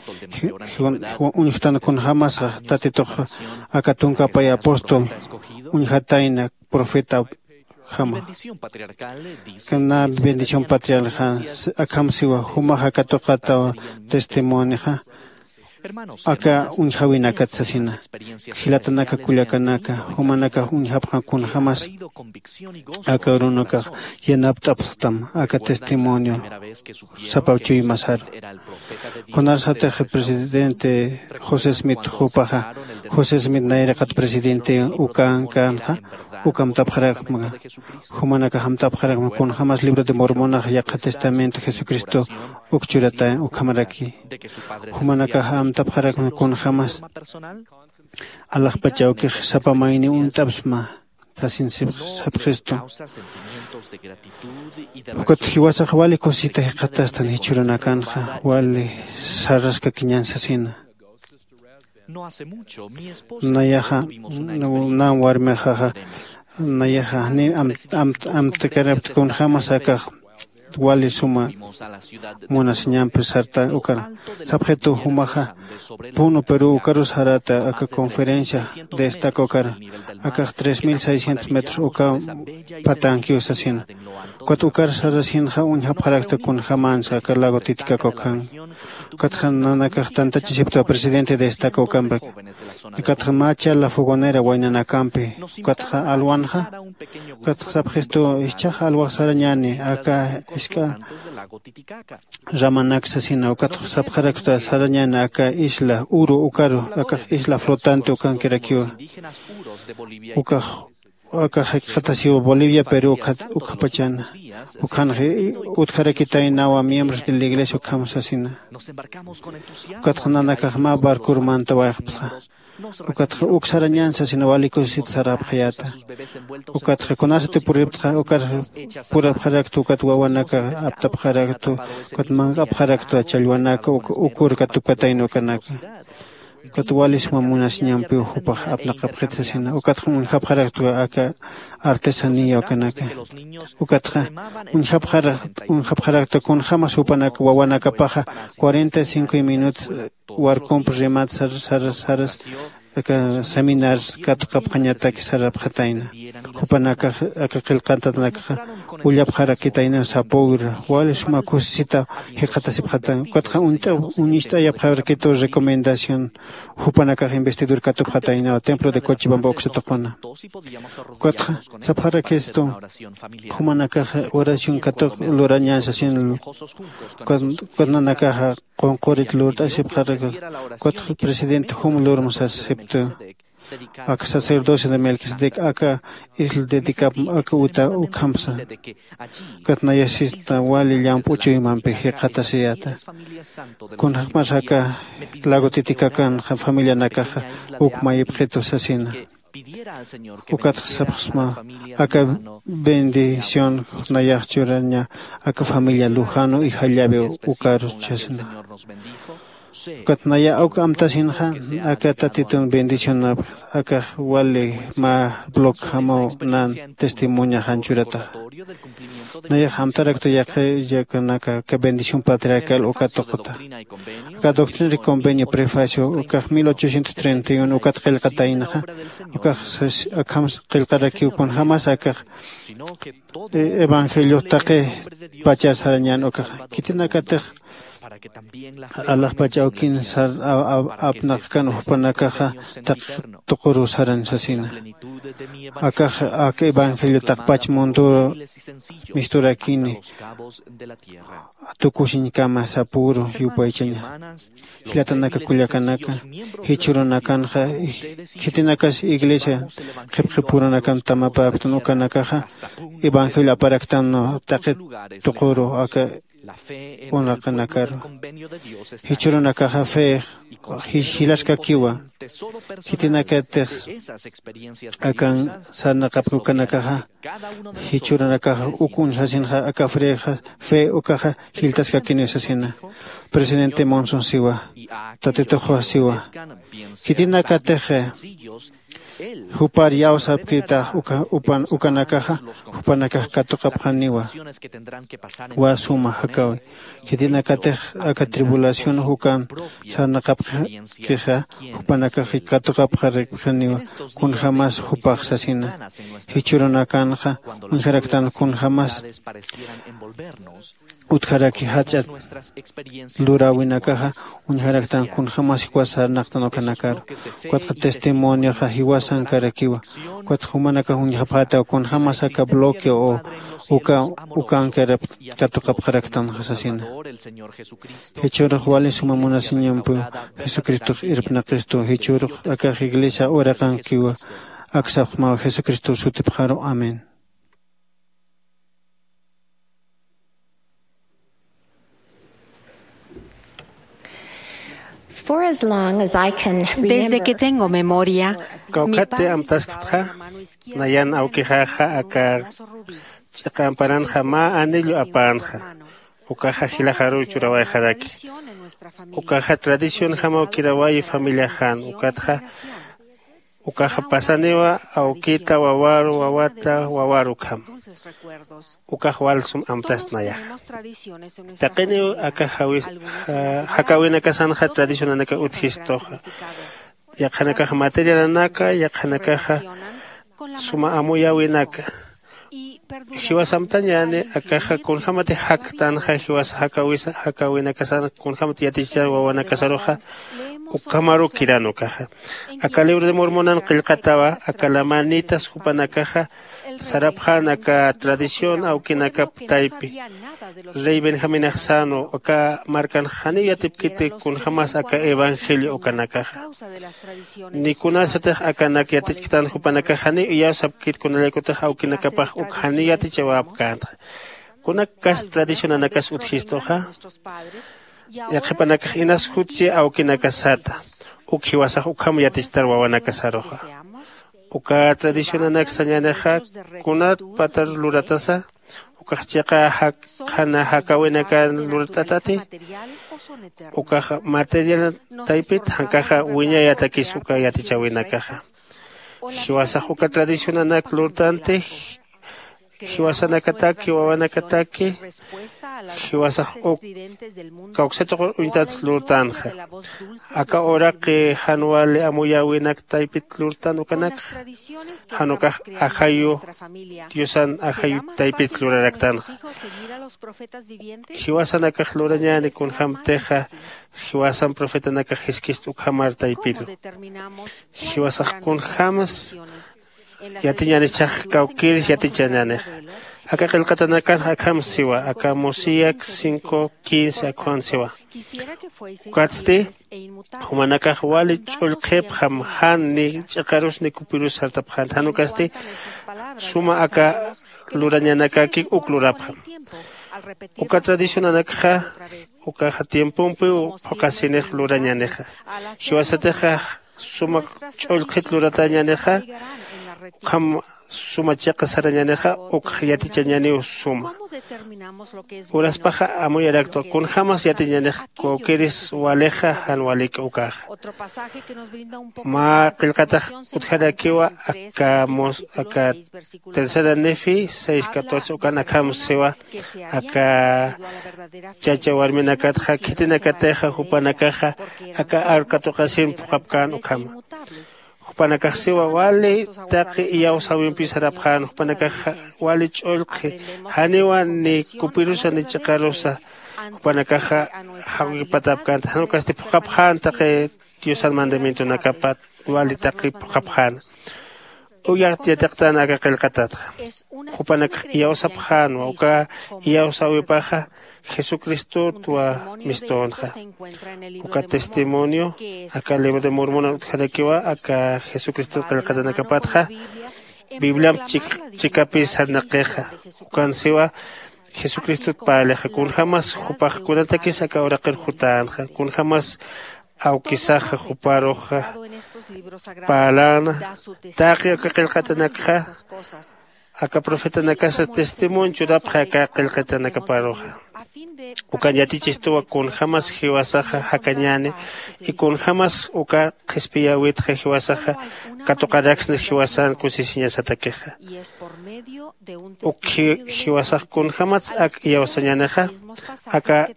uñjtan kunjämasax tatitux aka tunkapay apóstol uñjatayna profetajama. Kuna bendición patriarcal akham siwa jumaxa katuqatawa testimonioxa aka uñjawinakat sasina. Jilatanaka kullakanaka jumanakax uñjapxan kunjämas aka urunakax yanapt'apxtam aka testimonio sapaw chuymasaru. Kunasatix presidente josé smith jupaxa josé smith nayraqat presidente ukankanxa ukamtapxarakma. Jumanakax amtapxarakma kunjämas libro de mormonax yaqha testamento jesucristo uk churata ukhamaraki. Jumanakax amtapxarakma kunjämas alaxpach awkix sapa mayni uñt'apsma sasin sapxistu. Ukat jiwasax wali kusisita jikxatastan jichhürunakanxa wali sarraskakiñän sasina. Nayaxa nä warmixaxa nayaxa janiw amtkarakta kunjämas akax wali suma munasiñampi sarta ukan. Sapxitu jumaxa puno peru ukaru sarata aka conferencia destaca ukar akax tres mil seiscientos metros uka patankiw sasina. Ukat ukar sarasinxa uñjapxarakta kunjämänsa aka lago titicaca ukan. Ukatxa nanakax tantachisipta presidente destaca ukamrak. Ukatxa mä charla fogonera waynanakampi ukatxa alwanxa ukatxa sapxistu ischhax alwax sarañäni aka isk'a ramanak sasina ukatxa sapxarakta sarañäni aka isla uru ukaru akax isla flotante ukankirakiwa. Ukax aka jikxatasiw Bolivia, Perú ukhat ukapachana. Ukhanxa utjarakitaynawa miembros de la iglesia ukham sasina. Ukatxa nanakax mä barcur mantawayxapxta. Ukatxa uk sarañän sasina wali kusisit sarapxayäta. Ukatxa kunasati puripxta ukar purapxarakta ukat wawanaka aptapxarakta ukat manq'apxarakta challwanaka ukur katupkatayna ukanaka. Ukat wali suma munasiñampiw jupax apnaqapxit sasina ukatxa uñjapxarakta aka artesanía ukanaka. Ukatxa uñjapxarakta kunjämas jupanaka wawanakapaxa cuarenta y cinco minutos warkump remat saras saras aka seminars katuqapxañataki sarapxatayna. Jupanakax aka qillqantanakaxa ullapxarakitayna sapüra wali suma kusisita jikxatasipxatayna ukatxa uñt'ayapxarakitu recomendación jupanakax investidur katupxataynawa templo de cochibamba uksatuquna. Ukatxa sapxarakistu jumanakaxa oración katuq lurañän sasin. Ukat nanakaxa qunqurit lurt'asipxaraka ukatxa presidente jum lurm sasiptu. Aka sacerdocio de melquisedec aka isla dedicap aka uta ukhamsa. Ukat nayasista wali llamp'u chuymampi jikxatasiyäta. Kunjämas aka lago titikakan familianakaxa uk mayipxitu sasina. Ukatxa sapxsma aka bendición nayax churaña aka familia lujano y jallawi ukaru chasna. Ukat naya uk amtasinxa aka tatitun bendicionap aka wali mä blog jamaw nan testimoniaxan churataxa. Nayax amtaraktu yaqi yakanaka aka bendición patriarcal uka tuquta. Aka doctrina y convenio prefacio ukax mil ochocientos treinta y uno ukat qillqataynaxa ukax akham qillqarakiw kunjämas akax evangeliox taqi pachar sarañän ukaxa khitinakatix alaxpach awkin sar apnaqkan jupanakaxa taqi tuquru saran sasina. Akax aka evangelio taqpach mundur misturakini tukusiñkama sapüru yupaychaña. Jilatanaka kullakanaka jichhürunakanxa khitinakas iglesia qhipqhipurunakan tamapäpktun ukanakaxa evangelio aparaktan taqi tuquru aka unaqanakaru. Jichhürunakaxa fe jilaskakiwa. Khitinakatix akan sarnaqapki ukanakaxa jichhürunakaxa uk uñjasinxa aka frexa fe ukaxa jiltaskakiniw sasina. Presidente monson siwa tatituxwa siwa khitinakatix jupar iyawsapkita ukanakaxa jupanakax katuqapxaniwa. Wa suma jakawi khitinakatix aka tribulación ukan sarnaqapkixa jupanakax katuqapxaripxaniwa. Kunjämas jupax sasina jichhürunakanxa uñjaraktan kunjämas utjaraki jach'a luräwinakaxa uñjaraktan kunjämas jiwas sarnaqtan ukanakaru. Ukatxa testimonioxa jiwasankarakiwa. Ukatxa jumanakax uñjapxätaw kunjämas aka bloqueo uka ukankarap katuqapxaraktanxa sasina. Jichhürux wali suma munasiñampiw jesucristox irpnaqistu jichhürux akax iglesia uraqankiwa. Aksapxmaw jesucristo sutipxaru amén. For as long as I can remember, desde que tengo memoria, kawkhati amtasktxa nayan awkixaxa aka ch'iqa amparanxa mä anillo apänxa. Ukaxa jilaxaruw churawayxaraki. Ukaxa tradicionjamaw kirawayi familiaxan ukatxa ukaxa pasaniwa awkita wawaru wawata wawaru ukham. Ukax wal sum amtast nayaxa. Taqiniw aka jakäwinakasanxa tradicionanaka utjistuxa. Yaqhanakaxa materialanaka yaqhanakaxa suma amuyäwinaka. Jiwas amtañäni akaxa kunjämati jaktanxa jiwas jakäwinakasan kunjämati yatichar wawanakasaruxa. Ukhamaru kiran ukaxa. Aka libro de mormonan qillqatawa aka lamanitas jupanakaxa sarapxän aka tradición awkinakap taypi rey benjaminax sänu aka markan janiw yatipkiti kunjämas aka evangelio ukanakaxa. Ni kunasatix akanak yatichktan jupanakax janiw iyawsapkit kunalaykutix awkinakapax uk janiw yatichawäpkänxa. Kunak kast tradicionanakas utjistuxa yaqhipanakax inas jutsi awkinakasata uk jiwasax ukham yatichtar wawanakasaruxa. Uka tradicionanak sañänixa kunat patar luratasa ukax chiqa qhana jakawinakan lurat'atati ukax material taypit jankaxa wiñayatakis uka yatichäwinakaxa. Jiwasax uka tradicionanak lurtanti jiwasanakataki wawanakataki jiwasax uk kawksa tuqur uñtat lurtanxa. Aka uraqi jan wali amuyäwinak taypit lurtan ukanakxa jan ukax ajayu diosan ajayu taypit luraraktanxa. Jiwasanakax lurañäni kunjämtixa jiwasan profetanakax jiskist ukhamar taypiru. Jiwasax kunjämas yatiñänichhax kawkïris yatichañänixa. Aka qillqatanakanx akham siwa aka mosiyak cinco quince akham siwa. Ukatsti jumanakax wali ch'ullqhipxam jan ni ch'iqarus ni kupirus sartapxänti jan ukasti suma aka lurañanakakik uk lurapxam. Uka tradicionanakxa ukaxa tiempompiw phuqhasinix lurañänixa. Jiwasatixa suma ch'ullqhit luratañänixa ukham suma chiqa sarañänixa ukx yatichañäniw suma. Uraspaxa amuyaraktwa kunjämas yatiñänix kawkïris walixa jan walik ukaxa. Mä qillqatax utjarakiwa aka tercera nefi seis catorce ukan akham siwa aka chacha warminakatxa khitinakatixa jupanakaxa aka aru katuqasin phuqhapkän ukhama. Jupanakax siwa wali taqi iyawsäwimpi sarapxän jupanakaxa wali ch'ullqhi janiwa ni kupirusa ni ch'iqarusa jupanakaxa jawkipatapkänti jan ukasti phuqhapxän taqi diosan mandamientonakapat wali taqi phuqhapxäna. Uyaxt yatiqtän aka qillqatatxa jupanakax iyawsapxänwa uka iyawsäwipaxa jesucristotwa mistünxa. Uka testimonio aka libro de mormona utjarakiwa aka jesucristot qillqatanakapatxa bibliamp chikapis sarnaqixa. Ukan siwa jesucristot parlixa kunjämas jupax kunatakis aka uraqir jutänxa kunjämas awkisaxa juparuxa parläna taqi aka qillqatanakxa aka profetanakasa testimonio churapxi aka qillqatanakaparuxa. Ukan yatichistuwa kunjämas jiwasaxa jakañäni y kunjämas uka qhispiyäwitxa jiwasaxa katuqaraksni jiwasan kusisiñasatakixa. Uk jiwasax kunjämats ak iyawsañänixa aka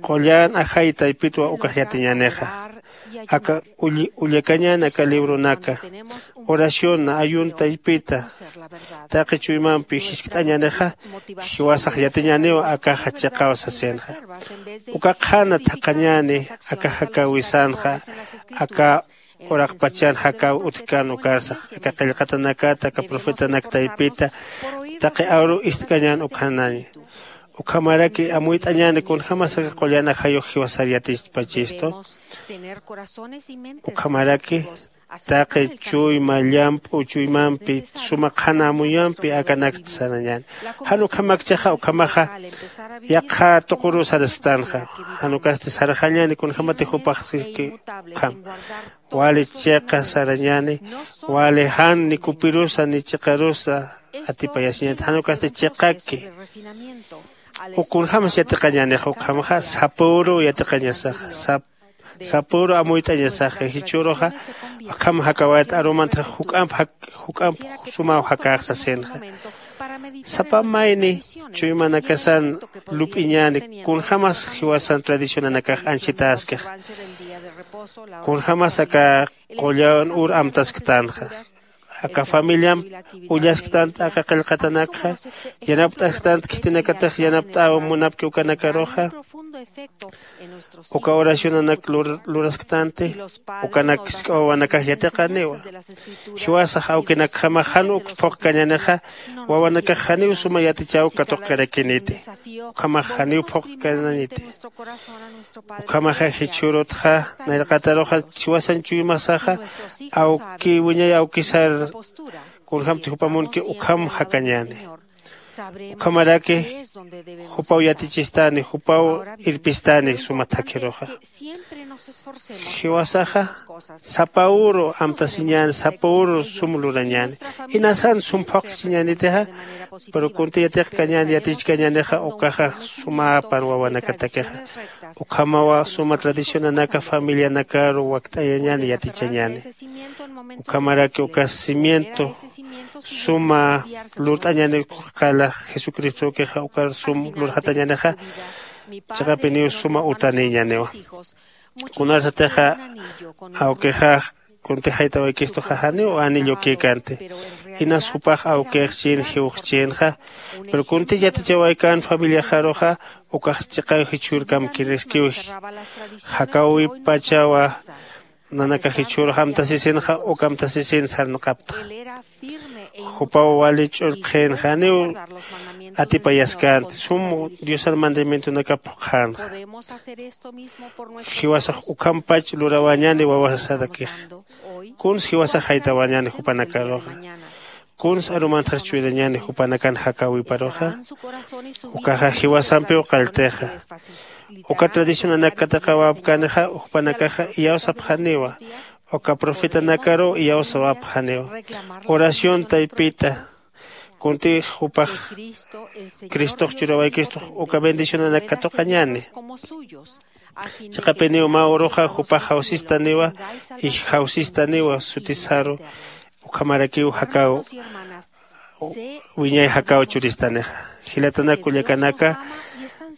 qullan ajay taypitwa ukax yatiñänixa. Aka ullakañän aka libronaka oración ayun taypita taqi chuymampi jiskt'añänixa jiwasax yatiñäniw akaxa chiqaw sasinxa. Uka qhana thaqhañäni aka jakäwisanxa aka uraqpachan jakäw utjkän ukarsax aka qillqatanakat aka profetanak taypita taqi aru ist'kañän ukhanaña. Ukhamaraki amuyt'añäni kunjämas aka qullan ajayux jiwasar yatichpachistu. Ukhamaraki taqi chuyma llamp'u chuymampi suma qhana amuyampi akanakt sarañäni. Jan ukhamakchaxa ukhamaxa yaqha tuquru sarastanxa. Jan ukasti sarxañäni kunjämati jupaxki ukham wali chiqa sarañäni wali jan ni kupirusa ni chiqarusa atipayasiñäni jan ukasti chiqaki. Uk kunjämas yatiqañänixa ukhamaxa sapüru yatiqañasaxa sapüru amuyt'añasaxa jichhüruxa akham jakawayat arumantaxa juk'amp juk'amp sumaw jakäx sasinxa. Sapa mayni chuymanakasan lup'iñäni kunjämas jiwasan tradicionanakax anchhitäskix kunjämas aka qullan ur amtasktanxa. Aka familiamp ullasktant aka qillqatanakxa, yanapt'asktant khitinakatix yanapt'äw munapki ukanakaruxa. Uka oracionanak lur- lurasktanti, ukanak jisk'a wawanakax yatiqaniwa. Jiwasax awkinakjamax jan uk phuqkañänixa, wawanakax janiw suma yatichäw katuqkarakiniti. Ukhamax janiw phuqkañäniti. Ukhamaxa jichhürutxa nayraqataruxa jiwasan chuymasaxa, awki wiñay awkisar kunjämti jupa munki ukham jakañäni. Ukhamaraki jupaw yatichistani, jupaw irpistani suma thakhiruxa. Jiwasaxa sapa uru amtasiñäni, sapa uru sum lurañäni. Inasan sum phuqchiñänitixa, pero kunti yatiqkañäni, yatichkañänixa, ukaxa sumäpan wawanakatakixa. Ukhamawa suma tradicionanaka familianakaru wakt'ayañäni, yatichañäni. Ukhamaraki uka cimiento suma lurt'añäni, qala Jesucristokixa ukar sum lurxatañänixa, chiqapiniw suma utanïñäniwa. Kunarsatixa awkixa kunti jaytawaykistuxa janiw anillukïkänti. Inas jupax awkix chin jiwxchinxa, pero kunti yatichawaykan familiaxaruxa, ukax chiqaw jichhürkamkiriskiw. Jakäwipachawa nanakax jichhürux amtasisinxa, uk amtasisin sarnaqapxta. Jupaw wali ch'ullqxin, janiw atipayaskänti, sum Diosar mandamientonakap phuqxänxa. Jiwasax ukhampach lurawañäni wawasatakixa. Kuns jiwasax jaytawañäni jupanakaruxa. Kuns arumantxar chuyrañäni jupanakan jakäwiparuxa. Ukaxa jiwasampiw qalltixa. Uka tradicionanak katiqawapkänixa, jupanakaxa iyawsapxaniwa. Uka profetanakaruw iyawsawapxaniwa. Oración taypita, kunti jupax Cristox churawaykistux uka bendicionanak katuqañäni. Chiqapiniw mä uruxa jupax jawsistaniwa, y jawsistaniwa sutisaru, ukhamarakiw jakäw, wiñay jakäw churistanixa. Jilatanak kullakanaka,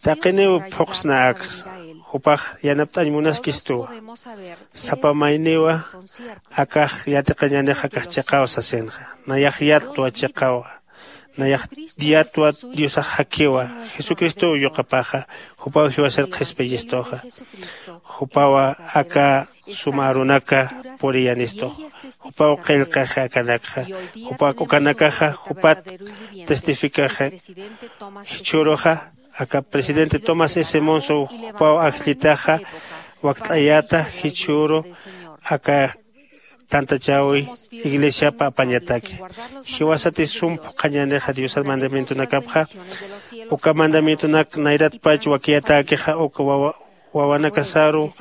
taqiniw phuqsna aksa, jupax yanapt'añ munaskistuwa. Sapa mayniwa akax yatiqañänix akax chiqaw sasinxa. Nayax yatwa chiqawa. Nayax yatwa Diosax jakhiwa. Jesucristow yuqapaxa. Jupaw jiwasar qhispiyistuxa. Jupawa aka suma arunaka puriyanistu. Jupaw qillqaxi akanakxa. Jupa ukanakaxa jupat testificaxi. Jichhüruxa aka presidente Thomas S. Monson jupaw ajllitaxa wakt'ayäta jichhüru aka tantachäwi iglesiapa apañataki. Jiwasati sum phuqhañänixa Diosar mandamientonakapxa, uka mandamientonak nayratpach wakiyatäkixa uka wawa wawanakasaru,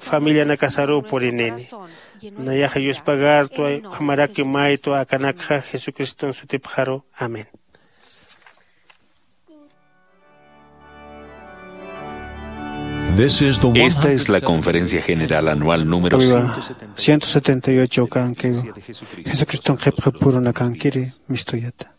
familianakasaruw purinini. Nayaxa yuspagartwa, ukhamaraki maytwa akanakxa Jesucriston sutipxaru. Amén. Esta es la conferencia general anual número ciento setenta y ocho. Kankiw Jesucriston qhipxi purunakankiri mistuyata.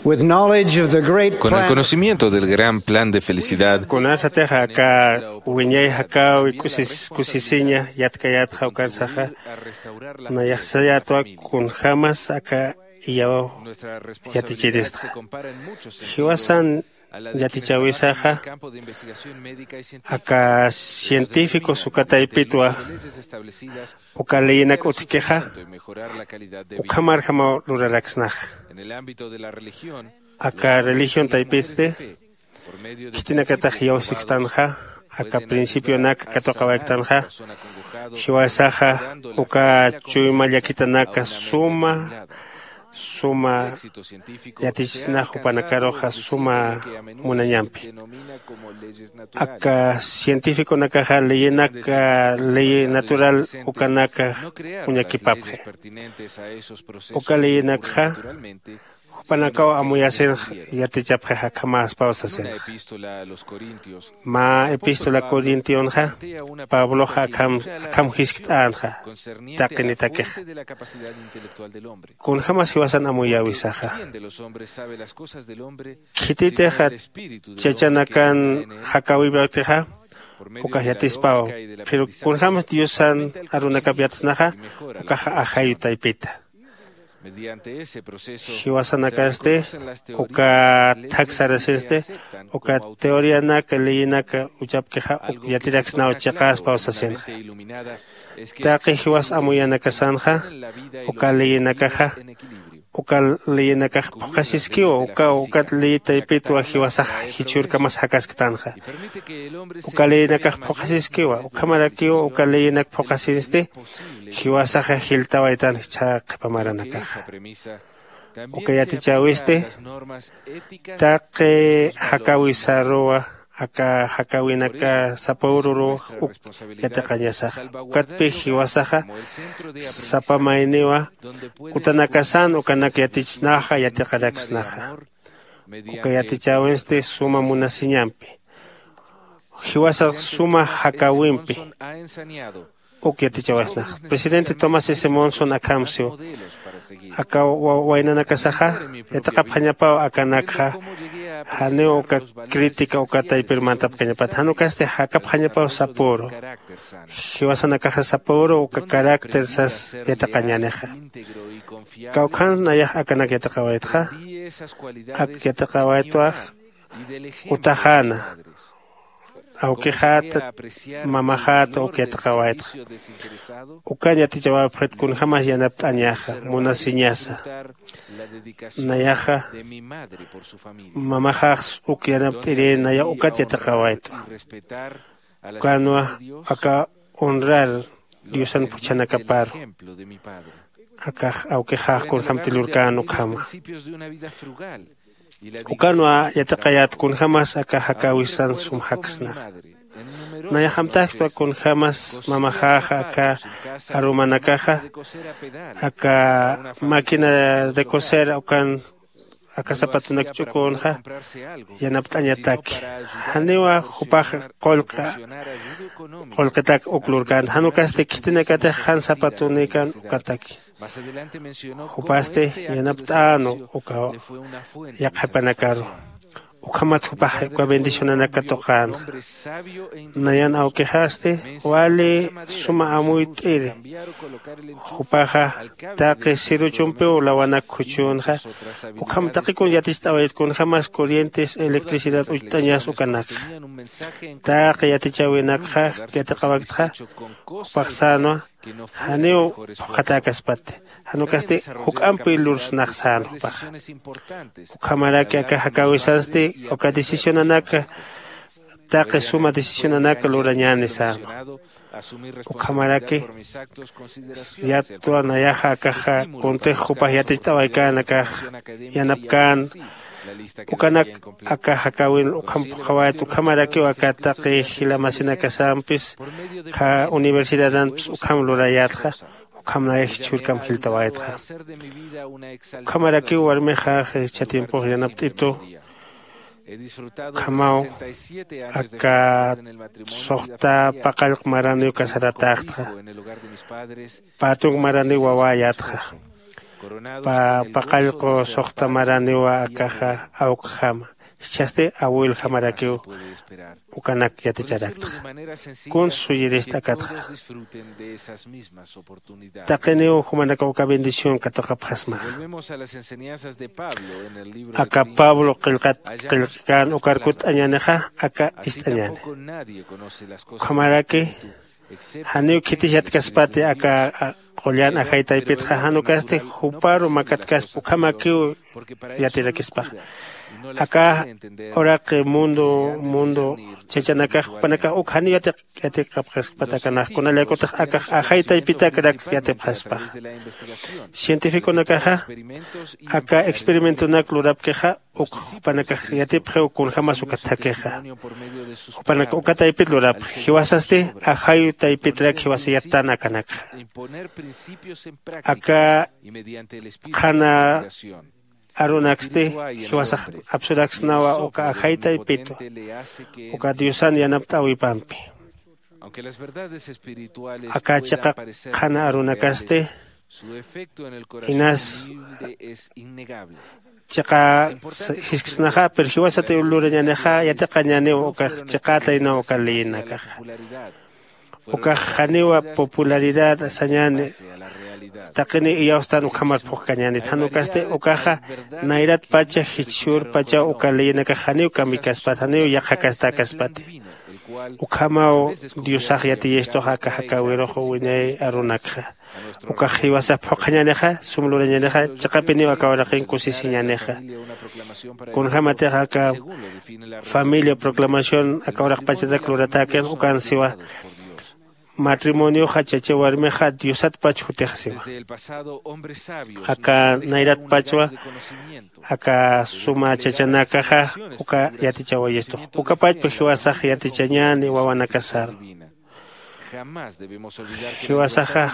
With knowledge of the great plan, con el conocimiento del gran plan de felicidad, kunasatix aka wiñay jakäwi kusis kusisiña yatkayätxa ukarsaxa, nayax sayätwa kunjämas aka iyaw yatichiristxa. Jiwasan yatichäwisaxa aka científicos uka taypitwa uka leyinak utjkixa ukhamarjamaw luraraksnaxa. Aka religión taypitsti khitinakatax iyawsikstanxa aka principionak katuqawayktanxa. Jiwasaxa uka chuyma llakitanaka suma suma yatichisnax jupanakaruxa suma munañampi. Aka cientificonakaxa leyinak ley natural ukanaka uñakipapxi. Uka leyinakxa jupanakaw amuyasinx yatichapxix akhamäspaw sasinxa. Mä epístola corintionxa pabloxa akham jiskt'änxa taqinitakix. Kunjämas jiwasan amuyäwisaxa khititixa chachanakan jakäwipaptixa ukax yatispaw. Pero kunjämas diosan arunakap yatsnaxa ukaxa ajayu taypita. Jiwasanakasti uka thak sarasinsti uka teorianak leyinaka uchapkixa uk yatiraksnaw chiqäspaw sasinxa. Taqi jiwas amuyanakasanxa uka leyinakaxa uka leyinakax phuqhasiskiwa uka ukat leyi taypitwa jiwasax jichhürkamas jakasktanxa. Uka leyinakax phuqhasiskiwa ukhamarakiw uka leyinak phuqhasinsti jiwasaxa jiltawaytan jichha qhipa maranakaxa. Uka yatichäwisti taqi jakäwisaruwa aka jakäwinaka sapüruruw uk yatiqañasaxa. Ukatpï jiwasaxa sapa mayniwa utanakasan ukanak yatichisnaxa yatiqaraksnaxa. Uka yatichäwinsti suma munasiñampi jiwasax suma jakäwimpi uk yatichawasnax. Presidente tomás s monson akham siw aka waynanakasaxa yatiqapxañapaw akanakxa janiw uka crítica uka taypir mantapxañapat jan ukasti jakapxañapaw sapüru. Jiwasanakaxa sapüru uka carácter sas yatiqañänixa. Kawkhan nayax akanak yatiqawaytxa ak yatiqawaytwa utaxäna awkixäta mamaxäta uk yatiqawaytxa. Ukan yatichawapxit kunjämas yanapt'añaxa munasiñasa. Nayaxa mamaxax uk yanapt'iri nayax ukat yatiqawaytwa. Ukanwa aka honrar diosan phuchhanakaparu akax awkixax kunjämti lurkän ukhama. Ukanwa yatiqayät kunjämas aka jakäwisan sum jaksnaxa. Nayax amtaskta kunjämas mamaxäxa aka arumanakaxa aka máquina de coser ukan aka zapatunak ch'ukünxa yanapt'añataki. Janiwa jupax qullqa qullqitak uk lurkänti jan ukasti khitinakatix jan zapatunikan ukataki. Jupasti yanapt'änu uka yaqhipanakaru ukhamat jupax uka bendicionanak katuqänxa. Nayan awkixasti wali suma amuyt'iri jupaxa taqi siruchumpiw lawanak khuchhünxa. Ukham taqikun yaticht'awayat kunjämas corrientes electricidad ucht'añas ukanakxa taqi yatichäwinakxa yatiqawaktxa jupax sänwa janiw phuqhatäkaspati jan ukasti juk'ampi lursnax sän jupaxa. Ukhamaraki aka jakäwisansti uka decisionanaka taqi suma decisionanaka lurañäni sänwa. Ukhamaraki yatwa nayaxa akaxa kuntix jupax yaticht'awaykän akax yanapkän ukanak aka jakäwin ukham phuqhawayt ukhamarakiw aka taqi jila masinakasampis universidadanpis ukham lurayätxa. Ukham nayax jichhürkam jiltawaytxa. Ukhamarakiw warmixax jichha tiempox yanapt'itu ukhamaw aka suxta paqallq maraniw casaratäxtxa. Patunk maraniw wawäyätxa. paqallqu suxtamaraniwa akaxa awkjama. Jichhasti awiljamarakiw ukanak yaticharaktxa. Kuns suyirista akatxa. Taqiniw jumanakaw uka bendición katuqapxasmaxa. Aka pablo qillqat qillqkän ukar kutt'añänixa aka ist'añäni. Ukhamaraki janiw khitis yatkaspati aka qullan ajay taypitxa jan ukasti juparu makatkaspa ukhamakiw yatirakispaxa. Aka uraqi mundo mundo chachanakax jupanakax uk janiw yatiqapxaspat akanax kunallayakutix akax ajay taypitakrak yatipxaspaxa. Cientificonakaxa aka experimentonak lurapkixa uk jupanakax yatipxiw kunjämas ukat thakixa. Jupanakax uka taypit lurapxi jiwasasti ajayu taypitrak jiwasa yattan akanakxa. Aka qhana arunaksti jiwasax apsuraksnawa uka ajay taypitwa uka diosan yanapt'äwipampi. Aka chiqa qhana arunakasti inas chiqa jisksnaxa pero jiwasatiw lurañänixa yatiqañäniw ukax chiqätaynaw uka leyinakaxa. Ukax janiwa popularidad sañäni taqiniw iyawstan ukhamar phuqkañänit jan ukasti ukaxa nayratpacha jichhürpachaw uka leyinakax janiw kambiykaspat janiw yaqhakastäkaspati. Ukhamaw diosax yatiyistux aka jakäwirux wiñay arunakxa. Ukax jiwasa phuqhañänixa sum lurañänixa chiqapiniw aka uraqin kusisiñänixa. Kunjämatix aka familia proclamación aka uraqpachatak luratäkix ukan siwa matrimonioxa chacha warmixa diosatpach jutix siwa. Aka nayratpachwa aka suma chachanakaxa uka yatichawayistux ukapachpa jiwasax yatichañäni wawanakasarwa. Jiwasaxa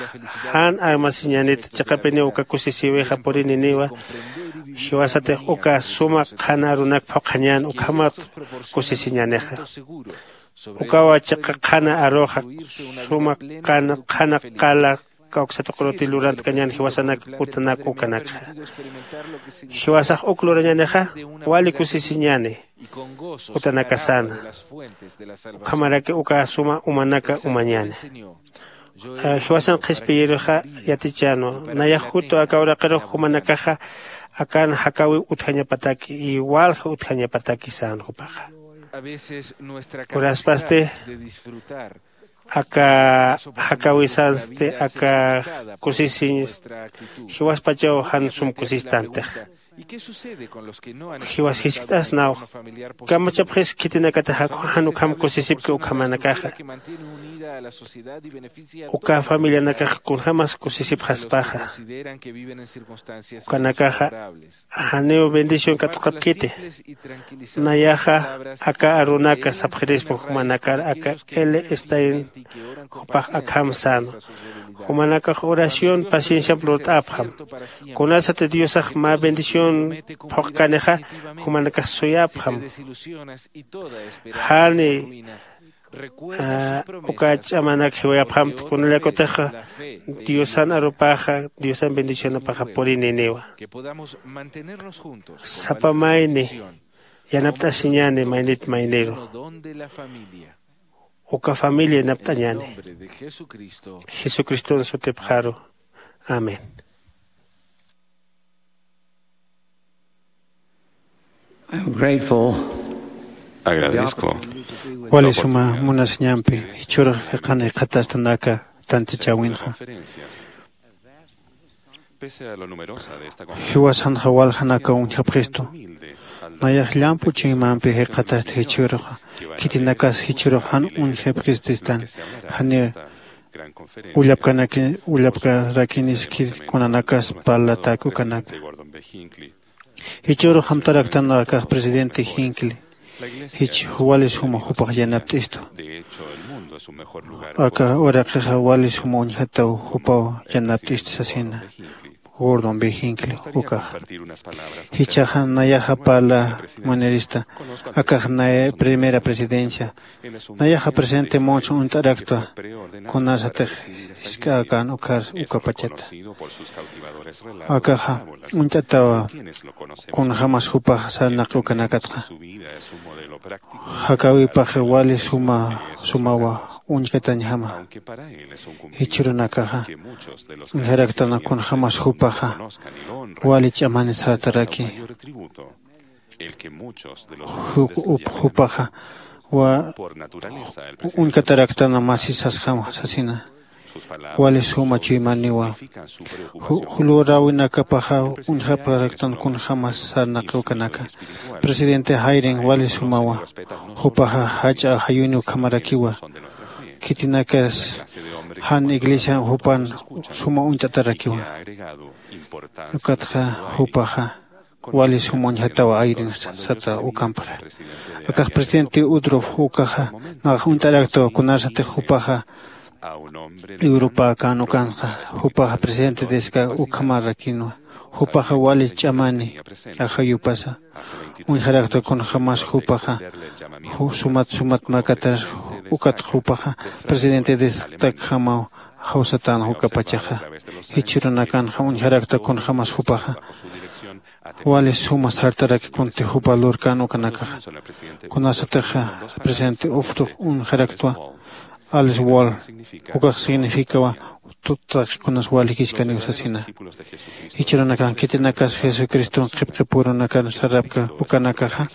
jan armasiñänit chiqapiniw uka kusisïwixa purininiwa. Jiwasatix uka suma qhana arunak phuqhañän ukhamat kusisiñänixa. Ukawa chiqa qhana aruxa suma qhana qala kawksatuqruti lurantkañän jiwasanak utanak ukanakxa. Jiwasax uk lurañänixa wali kusisiñäni utanakasäna. Ukhamaraki uka suma umanaka umañäni. Jiwasan qhispiyirixa yatichänwa nayax jutu aka uraqirux jumanakaxa akan jakäwiw utjañapataki y walja utjañapataki sän jupaxa. Uraspasti aka jakäwisansti aka kusisiñ jiwaspachaw jan sum kusistantix. Jiwas jiskt'asnaw kamachapxis khitinakatix jan ukham kusisipki ukhamanakaxa. Uka familianakax kunjämas kusisipxaspaxa. Ukanakaxa janiw bendición katuqapkiti. Nayaxa aka arunaka sapxirispa jumanakar aka l stein jupax akham sänwa. Jumanakax oración pacienciamp lurt'apxam. Kunasati diosax mä bendición phuqkanixa jumanakax suyapxam. Jani uka ch'amanak jiwayapxamti kunallakutixa diosan arupaxa diosan bendicionapaxa purininiwa. Sapa mayni yanapt'asiñäni maynit mayniru. Uka familia yanapt'añäni jesucriston sutipxaru. Amén. I'm grateful. Agradezco. Wali suma munasiñampi jichhürux jikxani jikxatastanaka tantichäwinxa. Jiwasanxa waljanakaw uñjapxistu. Nayax llamp'u chuymampi jikxatasti jichhüruxa khitinakas jichhürux jan uñjapxististan. Janiw ullapkarakinis khit kunanakas parlatäk ukanaka. Jichhürux amtaraktan akax presidente jincle jich wali suma jupax yanapt'istu. Aka uraqixa wali suma uñjataw jupaw yanapt'istu sasina. Gordon B Hinckley ukaxa. Jichhaxa nayaxa parla manirista akax nay primera presidencia nayaxa presidente monson uñt'araktwa. Kunasatix jisk'äkän ukhar ukapachata akaxa uñt'atawa. Kunjämas jupax sarnaqi ukanakatxa jakäwipax wali suma sumawa uñkatañjama. Jichhürunakaxa uñjaraktan kunjämas jupaxa wali ch'amani sartaraki. Jupaxa uñkataraktan masisasjama sasina. Wali suma chuymaniwa. Luräwinakapaxa uñjapxaraktan kunjämas sarnaqi ukanaka. Presidente jairin wali sumawa. Jupaxa jach'a jayuni ukhamarakiwa. Khitinakas jan iglesian jupan suma uñt'atarakiwa. Ukatxa jupaxa wali suma uñjatawa ayrin sata ukampxa. Akax presidente udruf ukaxa nax uñt'araktawa kunasatix jupaxa. Europa kan ukanxa jupaxa presidente diska ukhamarakinwa. Jupaxa wali ch'amani ajayupasa uñjarakta kunjämas jupaxa sumat sumat makatar. Ukat jupaxa presidente distakjamaw jawsatan ukapachaxa. Jichhürunakanxa uñjarakta kunjämas jupaxa wali suma sartaraki kunti jupa lurkan ukanakaxa. Kunasatixa presidente ufrux uñjaraktwa alice wall ukax significawa tuttaqi kunas walikichkaniw sasina. Jichhürunakan khitinakas jesucriston qhipqipürunakan sarapka ukanakaxa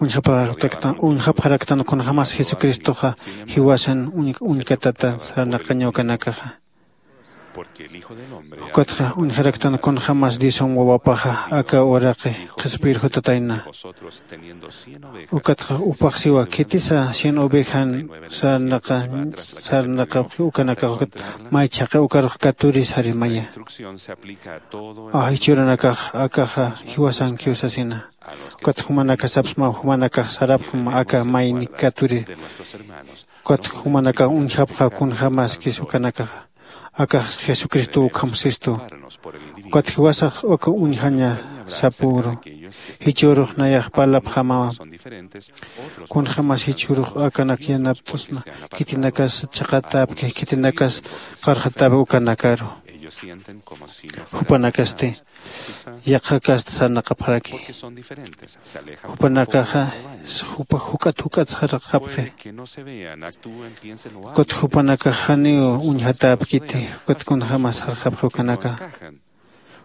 uñjapxaraktan kunjämas jesucristoxa jiwasan uñkatata sarnaqaña ukanakaxa. Ukatxa uñjaraktan kunjämas diosan wawapaxa aka uraqi qhispiyir jutatayna. Ukatxa upaxsiwa khitisa cien ovejan sarnaqa sarnaqapxi ukanakax ukat may chhaqi ukarux katuri sarimaya. Jichhürunakax akaxa jiwasankiw sasina. Ukat jumanakax sapsmaw jumanakax sarapxma aka mayni katuri. Ukat jumanakax uñjapxaw kunjämaskis ukanakaxa akax jesucristo ukham sistu. Ukat jiwasax uka uñjaña sapüru. Jichhürux nayax parlapxamawa. Kunjämas jichhürux akanak yanapt'asma khitinakas chhaqatäpki khitinakas qarxatäpi ukanakaru. Jupanakasti yaqhakasta sarnaqapxaraki. Jupanakaxa jupa juk'at juk'at sarxapxi. Ukat jupanakax janiw uñjatäpkiti. Ukat kunjämas sarxapxi ukanaka.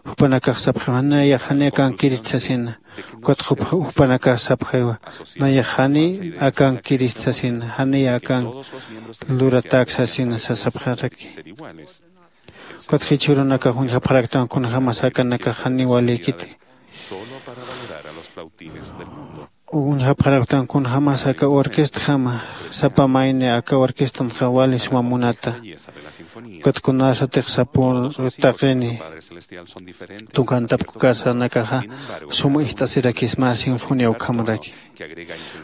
Jupanakax sapxiwa nayax janiy akankirist sasina. Ukat jupanakax sapxiwa nayax janiy akankirist sasina janiy akank luratäk sasina sasapxaraki. Ukat jichhürunakax uñjapxaraktan kunjämas akanakax janiw walïkiti. Uñjapxaraktan kunjämas aka orquestjama sapa mayni aka orquestanxa wali suma munata. Ukat kunasatix sapür taqini tukantapkukar sarnakaxa suma ist'asirakis mä sinfonía ukhamaraki.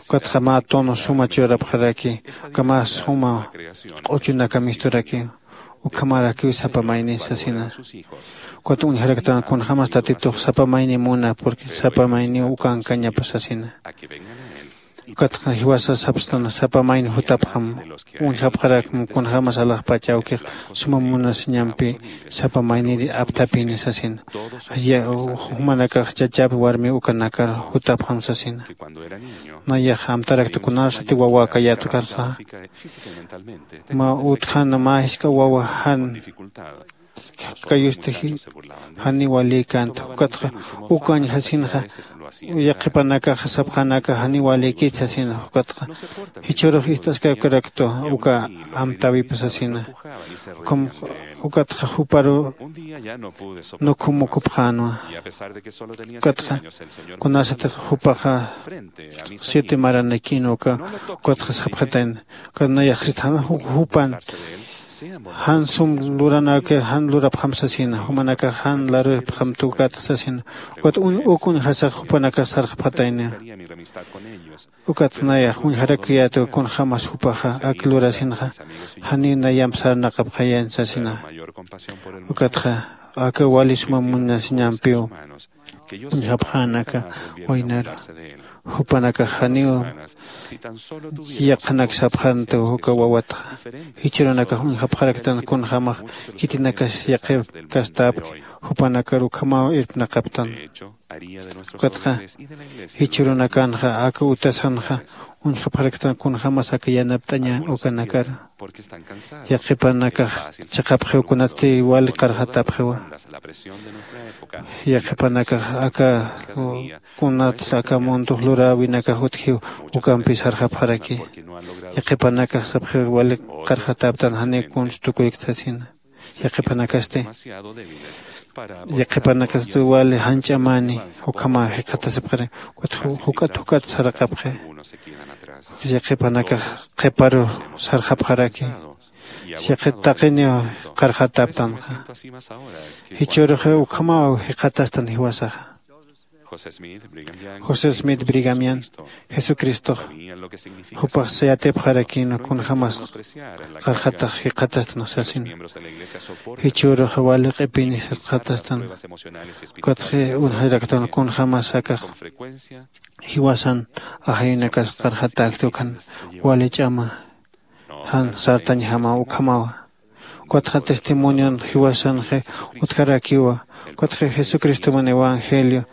Ukatxa mä tono suma churapxaraki uka mä suma q'uchunaka misturaki. Ukhamarakiw sapa mayni sasina. Ukat uñjaraktan kunjämas tatitux sapa mayni muna porque sapa mayniw ukankañapa sasina. Ukatxa jiwasa sapstan sapa mayni jutapxam uñjapxarakm kunjämas alaxpach awkix suma munasiñampi sapa mayniri apthapini sasina. Jumanakax chachap warmi ukanakar jutapxam sasina. Nayax amtarakta kunasati wawäkayät ukarxa mä utjana mä jisk'a wawa jan kayusti janiw walïkänta. Ukatxa ukañjasinxa yaqhipanakaxa sapxanaka janiw walïkit sasina. Ukatxa jichhürux ist'askakaraktu uka amtäwipa sasina. Ukham ukatxa juparu nukhumukupxänwa. Ukatxa kunasatix jupaxa siete maranakïnwa uka ukatxa sapxatayna. Ukat nayaxsit jan jupan jan sum luranakir jan lurapxam sasina jumanakax jan larupxam tukatx sasina. Ukat uk uñjasax jupanakax sarxapxatayna. Ukat nayax uñjarakiyätwa kunjämas jupaxa ak lurasinxa janiw nayamp sarnaqapxayañ sasina. Ukatxa aka wali suma munasiñampiw uñjapxänaka waynaru. Jupanakax janiw yaqhanak sapxantu uka wawatxa. Jichhürunakax uñjapxaraktan kunjämax khitinakas yaqhipkasthapki, jupanakar ukhamaw irpnaqaptan. Ukatxa jichhürunakanxa aka utasanxa uñjapxaraktan kunjämas aka yanapt'aña ukanakar. Yaqhipanakax chiqapxiw kunatsti wali qarxatapxiwa. Yaqhipanakax aka kunatsa aka mundox luräwinakax utjiw ukampi sarxapxaraki. Yaqhipanakax sapxiw wali qarxataptan janiw kunsa tukuykt sasina. Yaqhipanakasti yaqhipanakasti wali jan ch'amani ukhamaw jikxatasipxaraki. Ukat juk'at juk'at saraqapxi. Yaqhipanakax qhiparu sarxapxaraki. Yaqhit taqiniw qarxataptanxa. Jichhürux ukhamaw jikxatastan jiwasaxa. José Smith Brigamian, Jesucristox jupax yatipxarakïn kunjämas qarxatax jikxatastan sasina. Jichhürux wali q'ipini jikxatastan. Ukatxi uñjaraktan kunjämas akax jiwasan ajayunakas qarxatäkti ukan wali ch'ama jan sartañjamaw ukhamawa. Ukatxa testimonion jiwasanxi utjarakiwa. Ukatxi jesucristoman evangelio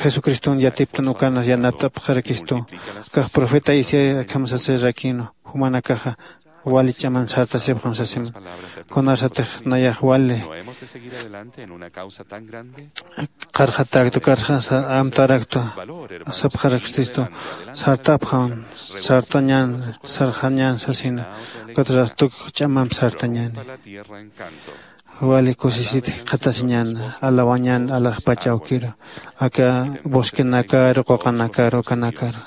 jesucriston yatiptan ukanas yanapt'apxarakistu. Akax profeta isaías akham sasirakïnwa, jumanakaxa wali ch'aman sartasipxam sasiman. Kunasatix nayax wali qarxatäktu karxasa amtaraktu sapxarakistu sartapxam sartañän sarxañän sasina. Ukatxa tuk ch'amamp sartañäni. Wali kusisit jikxatasiñän alawañän alaxpach awkiru aka bosquenakaru quqanakaru ukanakaru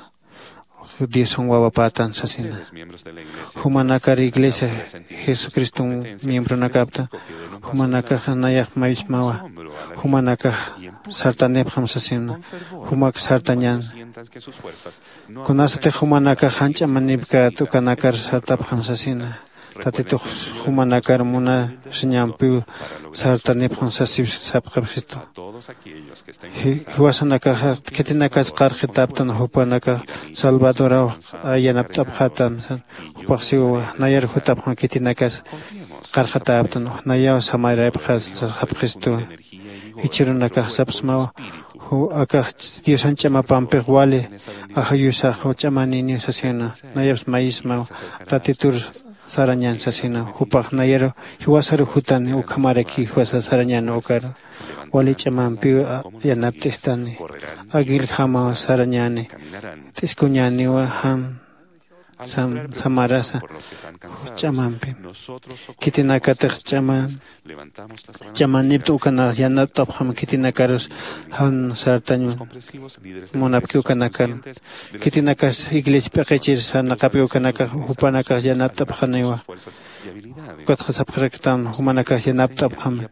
diosan wawapätan sasina. Jumanakar iglesia jesucriston miembronakapta jumanakax nayax mayismawa. Jumanakax sartanipxam sasina. Jumak sartañän kunasatix jumanakax jan ch'amanipkät ukanakar sartapxam sasina. Tatitux jumanakar munasiñampiw sartanipxam sasip sapxapxistu. Jiwasanakaxa khitinakas qarqitaptan jupanakax salvadoraw yanapt'apxätam san. Jupax siwawa nayar jutapxam khitinakas qarqatäptan nayaw samarayapxät sapxistuwa. Jichhürunakax sapsmawa akax diosan ch'amapampix wali ajayusax ch'amaniniw sasina. Nayaps mayismaw tatitur sarañän sasina. Jupax nayaru jiwasaru jutani ukhamaraki jiwasa sarañän ukaru wali ch'amampiw yanapt'istani. Aguiljamaw sarañäni t'iskuñäniwa jan samarasa ch'amampi. Khitinakatix ch'aman ch'amanipta ukanax yanapt'apxam khitinakarus jan sartañ munapki ukanakar. Khitinakas iglesia p'iqichir sarnaqapki ukanakax jupanakax yanapt'apxaniwa. Ukatxa sapxaraktam jumanakax yanapt'apxam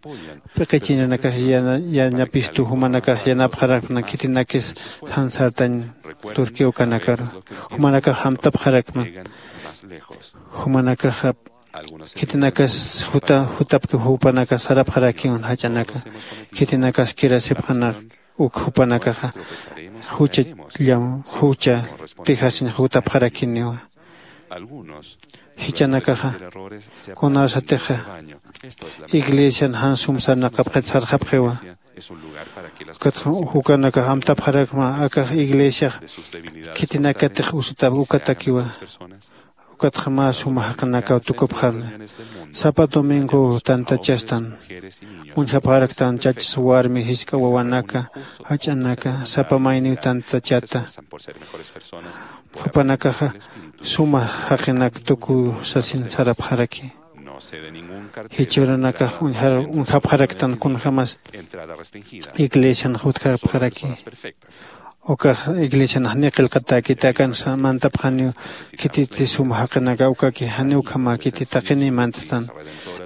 p'iqichirinakax yanapistu jumanakax yanapxarakna khitinakis jan sartañ turki ukanakaru jumanakax amtapxarakma. Jumanakaxa khitinakas jutapki jupanakax sarapxarakiwan jach'anaka. Khitinakas kirasipxanak uk jupanakaxa jucha llaw jucha tijasiñ jutapxarakiniwa. Jichanakaxa kunasatixa iglesian jan sum sarnaqapxit sarxapxiwa. Ukatxa jukanakax amtapxarakma akax iglesiax khitinakatix usutap ukatakiwa. Ukatxa mä suma jaqinakaw tukupxani. Sapa domingo tantachastan uñjapxaraktan chachas warmi jisk'a wawanaka jach'anaka sapa mayniw tantachata. Jupanakaxa suma jaqinak tukuw sasin sarapxaraki. Jichhürunakax uñjapxaraktan kunjämas iglesian jutjapxaraki. Ukax iglesian janiw qillqatäkiti akan mantapxaniw khititi suma jaqinaka ukaki janiw ukhamäkiti taqiniy mantstan.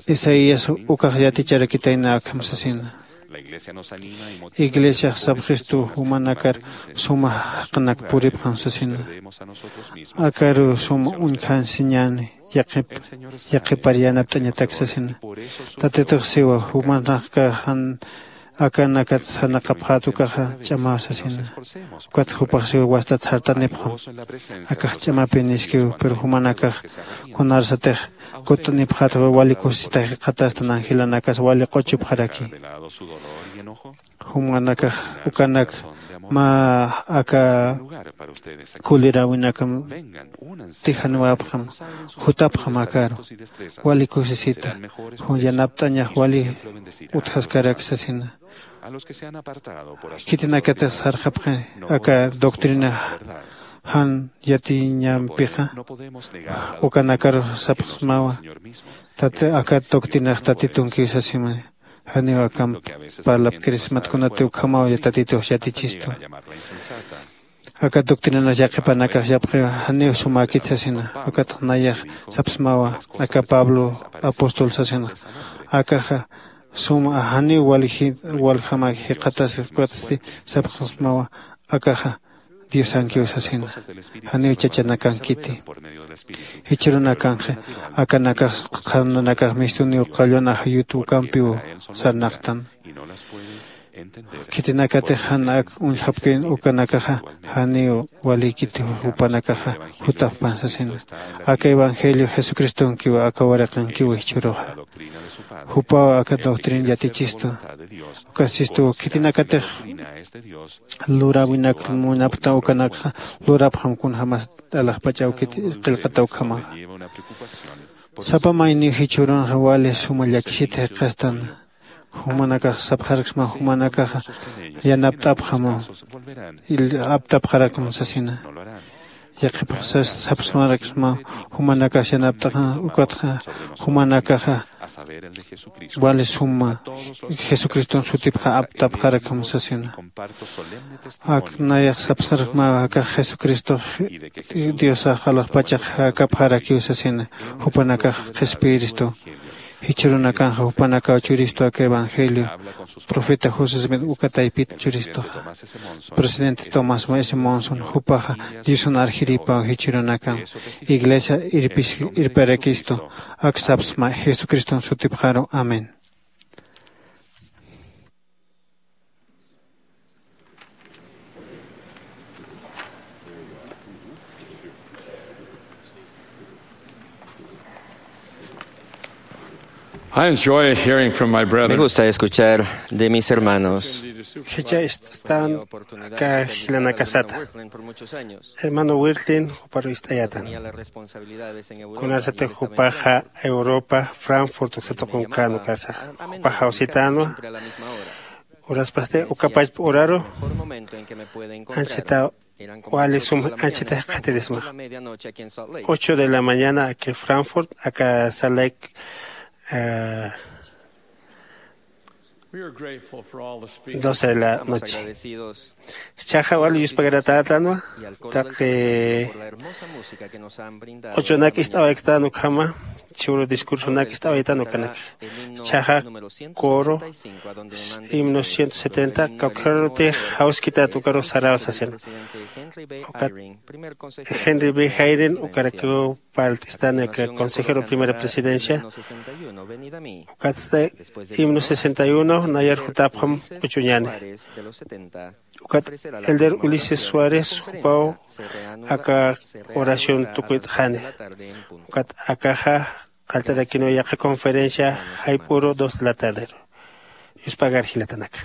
Isaías ukax yaticharakitayna akham sasina. Iglesiax sapxistu jumanakar suma jaqnak puripxam sasina. Akaru suma uñjasiñäni. yaqhip yaqhipar yanapt'añatak sasina. Tatitux siwa jumanakax jan akanakat sarnaqapxät ukaxa ch'amaw sasina. Ukat jupax siwa wastat sartanipxam. Akax ch'amapiniskiw pero jumanakax kunarsatix kutt'anipxät wali kusisita jikxatastan angelanakas wali q'uchupxaraki. Jumanakax ukanak mä aka kuliräwinakam tijaniwäpxam jutapxam akaru wali kusisita. Yanapt'añax wali utjaskarak sasina. Khitinakatix sarxapxi aka doctrina jan yatiñampixa ukanakaru sapxsmawa. Tat aka doctrinax tatitunkiw sasima. Janiw akamp parlapkirismat kunati ukhamaw yatatitux yatichistu. Aka doctrinax yaqhipanakax yapxiw janiw sumäkit sasina. Ukatx nayax sapsmawa aka pablo apóstol sasina. Akaxa suma janiw waljama jikxatas ukatsti sapxsmawa. Akaxa diosankiw sasina. Janiw chachanakankiti. Jichhürunakanxa akanakax qharnanakax mistuniw qallwan ajayut ukampiw sarnaqtan. Khitinakatix jan ak uñjapkïn ukanakaxa janiw walïkiti. Jupanakaxa jutapxpan sasina. Aka evangelio jesucristonkiw aka waraqankiw jichhüruxa. Jupaw aka doctrina yatichistu. Ukasistuw khitinakatix luräwinak munapxta ukanakxa lurapxam kunjämas alaxpach awkit qillqata ukhamaxa. Sapa mayniw jichhürunxa wali suma llakisita jikxastan. Jumanakax sapxaraksma jumanakaxa yanapt'apxam aptapxarakm sasina. Yaqhipxsas sapxsmaraksma jumanakax yanapt'axa ukatxa jumanakaxa wali suma jesucriston sutipxa aptapxarakm sasina. Ak nayax sapxarakma akax jesucristox diosax alaxpachax jakapxarakiw sasina. Jupanakax qhispiyiristu. Jichhürunakanxa jupanakaw churistu aka evangelio profeta josesmit uka taypit churistuxa. Presidente tomás s monson jupaxa diosan arjiripaw jichhürunakan iglesia irparakistu. Ak sapsma jesucriston sutipxaru amén. I enjoy hearing from my brethren. Me gusta escuchar de mis hermanos. Jichha ist'astan aka jilanakasata. Hermano wirtlin juparu ist'ayatan. Kunarsatix jupaxa europa frankfurt uksatuqunkan ukasa jupaxa jawsitanwa. Uraspasti ukapachpa uraru anchita wali sum anchita jikxatirisma. Ocho de la mañana aka frankfurt aka salek. Doce de la noche. Chaxa wali yuspagaratätanwa taqi ochonak ist'awayktän ukhama. Chhuru discursonak ist'awaytan ukanak chaxa coro himno ciento setenta kawkharutix jawskitat ukaru saraw sasina. Ukat henry b jairin ukarakiw parlt'istani aka consejero primera presidencia. Ukatsti himno sesenta y uno nayar jutapxam k'uchuñani. Ukat elder ulises suárez jupaw aka oración tukuyt'xani. Ukat akaxa qallt'arakiniw yaqha conferencia jayp'uru dos de la tarderu. Yuspagar jilatanaka.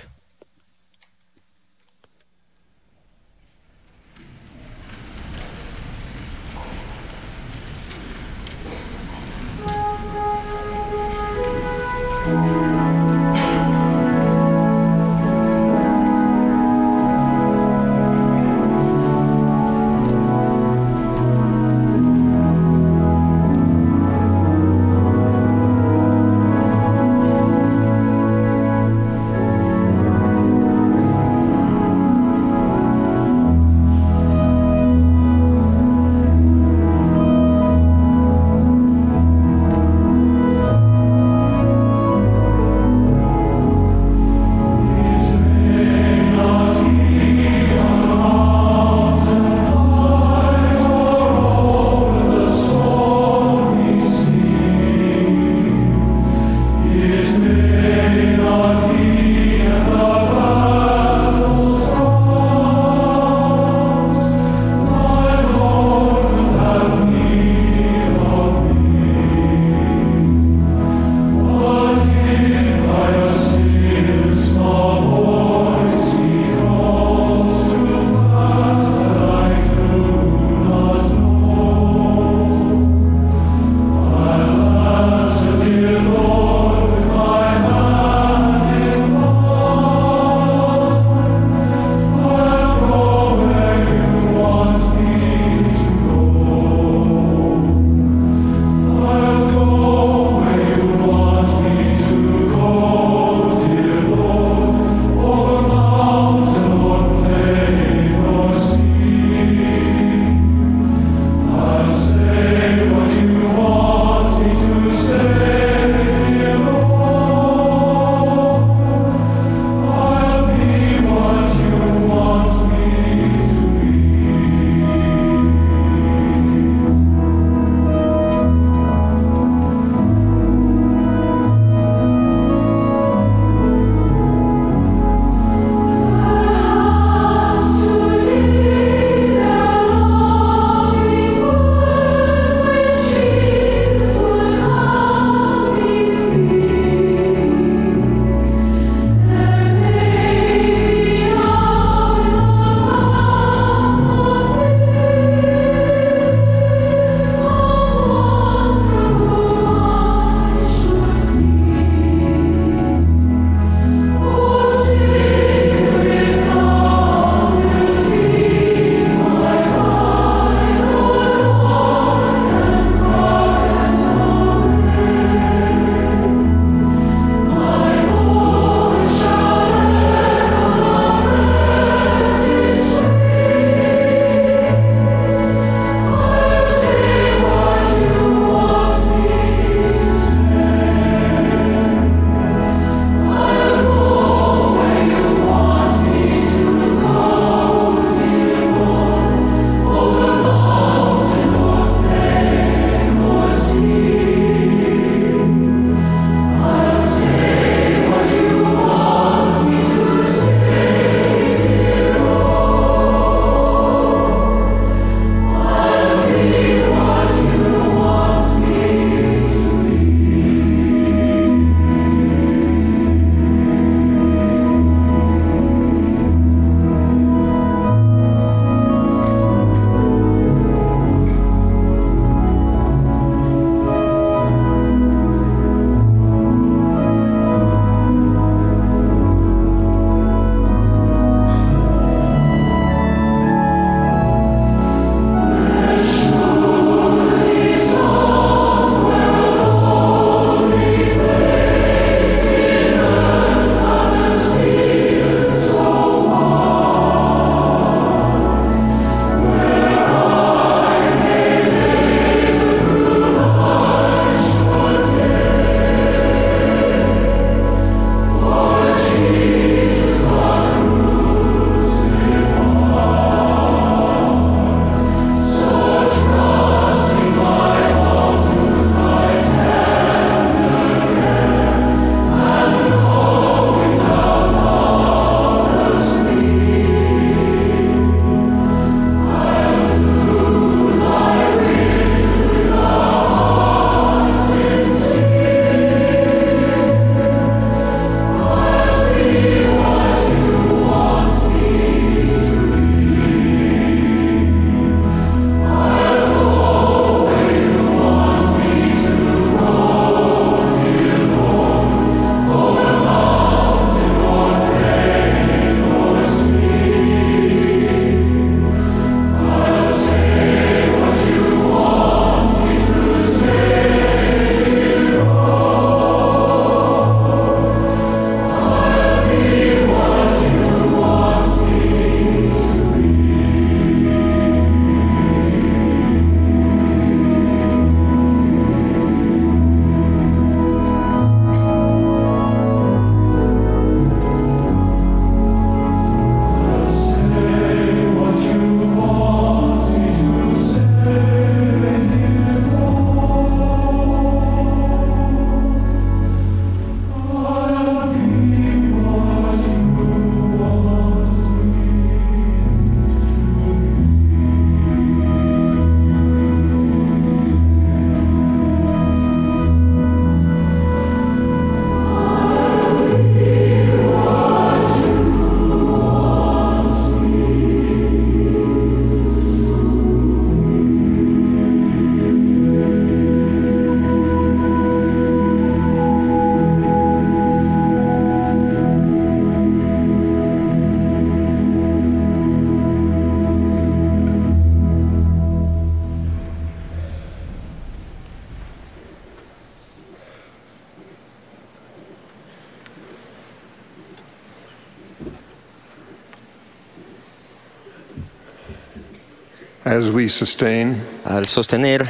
As we sustain, al sostener,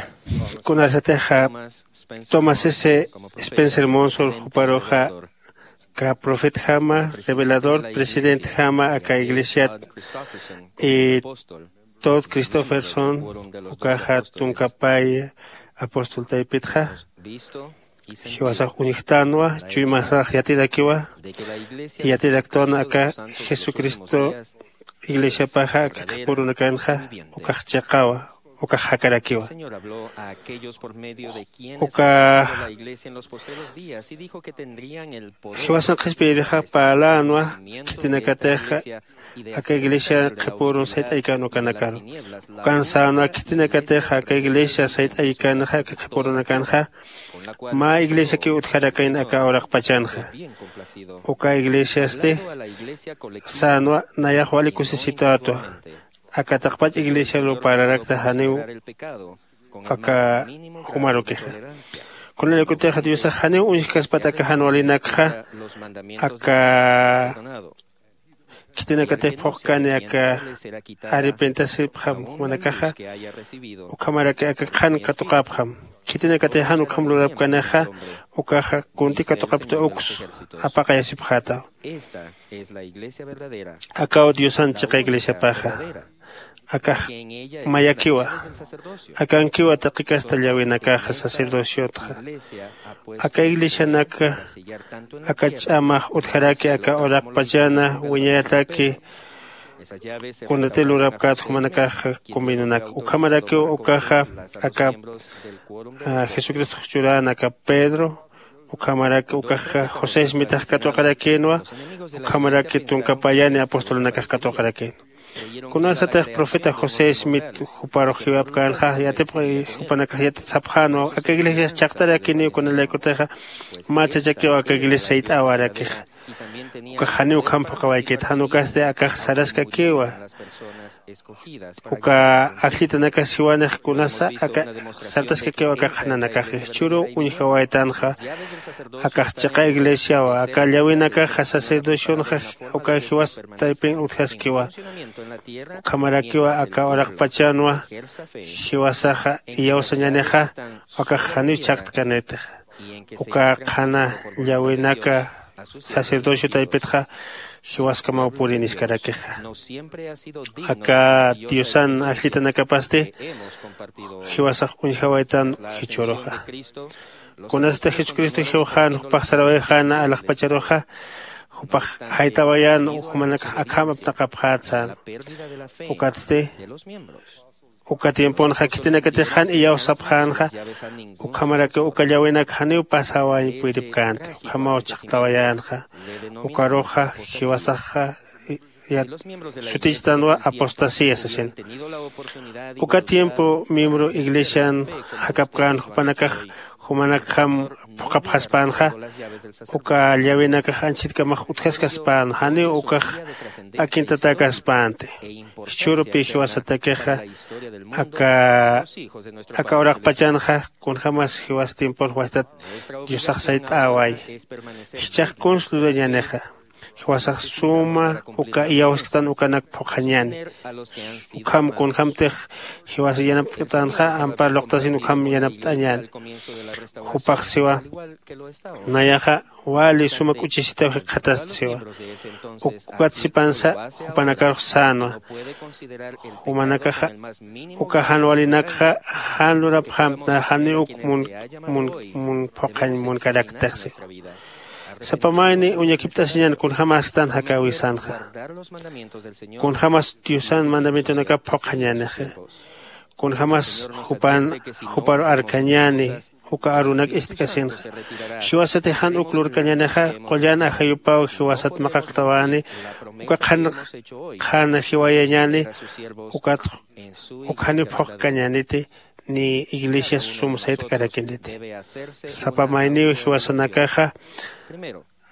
kunasatixa Thomas S Spencer Monson juparuxa ka profetjama, revelador, presidentjama aka iglesiat, y Todd Christofferson, ukaxa tunkapay apóstol taypitxa, jiwasax uñjtanwa, chuymasax yatirakiwa, yatiraktwan aka Jesucristo iglesiapaxa aka qhipürunakanxa ukax chiqawa, ukax jakarakiwa. Uka jiwasan qhispiyirixa parlänwa khitinakatixa aka iglesia qhipürun sayt'aykan ukanakaru. Ukan sänwa khitinakatixa aka iglesia sayt'aykanxa aka qhipürunakanxa mä iglesiakiw utjarakayn aka uraqpachanxa. Uka iglesiasti sänwa nayax wali kusisitätwa aka taqpach iglesiaru parlarakta janiw aka jumarukixa. Kunalaykutixa diosax janiw uñjkaspat aka jan walinakxa aka khitinakatix phuqkani aka arrepentasipxam jumanakaxa, ukhamaraki aka qhan katuqapxam. Khitinakatix jan ukham lurapkanixa ukaxa kunti katuqapta uks apaqayasipxätaw. Akaw diosan chiqa iglesiapaxa. Akax mayakiwa. Akankiwa taqi kasta llawinakaxa sacerdociotxa. Aka iglesianaka aka ch'amax utjaraki aka uraqpachana wiñayataki kunati lurapkät jumanakaxa conveniunaka ukhamarakiw ukaxa aka jesucristox churän aka pedro, ukhamaraki ukaxa josé smitax katuqarakïnwa. Ukhamaraki tunkapayani apostolunakax katuqarakïnwa. Kunasatix profeta josé smit juparux jiwapkänxa yatipxi jupanakax yatit sapxänwa aka iglesias chaqtarakiniw kunalaykutixa mä chachakiw aka iglesia sayt'äwarakixa. Ukax janiw ukham phuqawaykit jan ukasti akax saraskakiwa. Uka ajllitanakax siwanix kunasa aka sartaskakiw aka qhananakaxi jichhüruw uñjawaytanxa. Akax chiqa iglesiawa aka llawinakaxa sacerdocionxa uka jiwas taypin utjaskiwa. Ukhamarakiwa aka uraqpachanwa jiwasaxa iyawsañänixa. Akax janiw chhaqtkanitixa uka qhana llawinaka sacerdocio taypitxa jiwaskamaw puriniskarakixa. Aka diosan ajllitanakapasti jiwasax uñjawaytan jichhüruxa. Kunasatix jesucristo jiwxän jupax sarawayxäna alaxpacharuxa jupax jaytawayän jumanakax akham apnaqapxät sän. Ukatsti uka tiemponxa khitinakatix jan iyawsapxänxa. Ukhamarakiw uka llawinaka janiw pasawañ puyiripkänti ukhamaw chhaqtawayänxa. Ukaruxa jiwasaxa sutichtanwa apostasía sasin. Uka tiempo miembro iglesian jakapkän jupanakax jumanakjam phuqhapxaspänxa. Uka llawinakax anchhitkamax utjaskaspän janiw ukax akintatäkaspänti. Jichhürupï jiwasatakixa aka aka uraqpachanxa kunjämas jiwas tiempon juwastat diosax sayt'äway. Jichhax kuns lurañänixa jiwasax suma uka iyawsktan ukanak phuqhañäni. Ukham kunjämtix jiwas yanapt'tanxa ampar luqtasin ukham yanapt'añäni. Jupax siwa nayaxa wali suma k'uchisitaw jikxatasti siwa. Ukat sipansa jupanakarux sänwa jumanakaxa uka jan walinakxa jan lurapxämtna janiw uk mun mun phuqhañ munkaraktix siwa. Sapa mayni uñakipt'asiñän kunjämästan jakäwisanxa. Kunjämas diosan mandamientonakap phuqhañänixi. Kunjämas jupan juparu arkañäni uka arunak ist'kasinxa. Jiwasatix jan uk lurkañänixa qullan ajayupaw jiwasat maqaqtawäni uka qhan qhan jiwayañäni. Ukat uk janiw phuqkañäniti ni iglesias sum sayt'karakiniti. Sapa mayniw jiwasanakaxa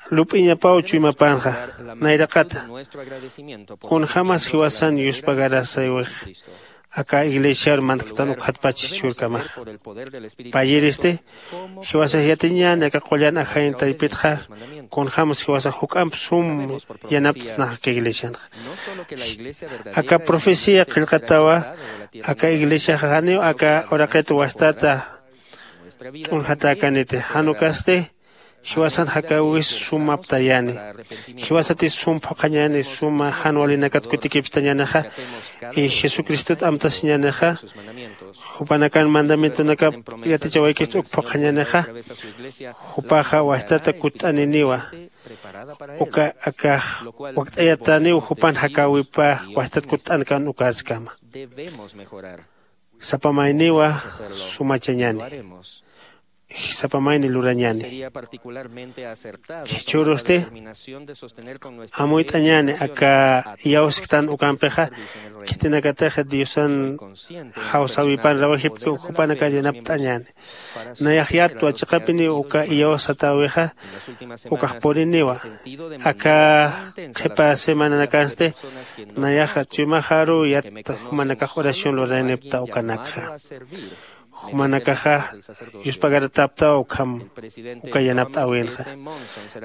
lup'iñapaw chuymapänxa. Nayraqata kunjämas jiwasan yuspagarasïwix aka iglesiar mantktan ukhatpach jichhürkamaxa. Payiristi jiwasax yatiñäni aka qullan ajañ taypitxa kunjämas jiwasax juk'amp sum yanapt'snaxa aka iglesianxa. Aka profecía qillqatawa aka iglesiaxa janiw aka uraqit wastata t'unjatäkaniti. Jan ukasti jiwasan jakäwis sum aptayäni. Jiwasatis sum phuqhañäni suma jan walinakat kutikipstañänixa. Y jesucristot amtasiñänixa jupanakan mandamientonakap yatichawaykist uk phuqhañänixa. Jupaxa wastata kutt'aniniwa uka akax wakt'ayatäniw jupan jakäwipa wastat kutt'ankan ukarskama. Sapa mayniwa sumachañäni. Sapa mayni lurañäni. Jichhürusti amuyt'añäni aka iyawsktan ukampixa khitinakatix diosan jawsäwipan rawajipki uk jupanakar yanapt'añäni. Nayax yattwa chiqapiniw uka iyawsatäwixa ukax puriniwa. Aka qhipa semananakansti nayaxa chuymaxaruw yatta jumanakax oración lurayanipkta ukanakxa. Jumanakaxa yuspagaratäpktaw ukham uka yanapt'äwinxa.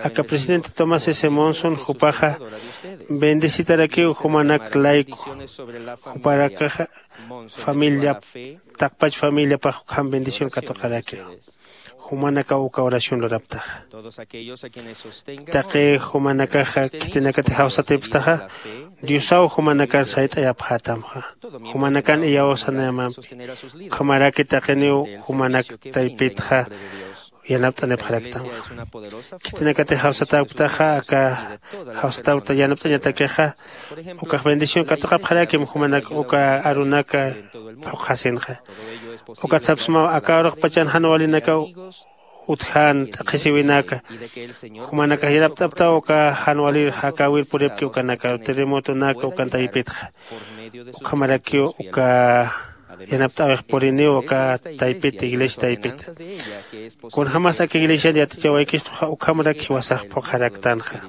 Aka presidente tomás s monson jupaxa bendecitarakiw jumanak layku. Juparakaxa familia taqpach familiapax ukham bendición katuqarakiwa. Jumanakaw uka oración luraptaxa. Taqi jumanakaxa khitinakatix jawsatipktaxa diosaw jumanakan sayt'ayapxätamxa. Jumanakan iyawsanayamampi ukhamaraki taqiniw jumanak taypitxa yanapt'anipxaraktamxa. Khitinakatix jawsatäpktaxa aka jawsatäpkta yanapt'añatakixa ukax bendición katuqapxarakim jumanak uka arunaka phuqhasinxa. Ukat sapsmaw aka uraqpachan jan walinakaw utjän t'aqhisiwinaka jumanakax yanapt'aptaw uka jan walir jakäwir puripki ukanakaru terremotonaka ukan taypitxa. Ukhamarakiw uka yanapt'äwix puriniw uka taypit iglesia taypit. Kunjämas aka iglesian yatichawaykistuxa ukhamarak jiwasax phuqharaktanxa.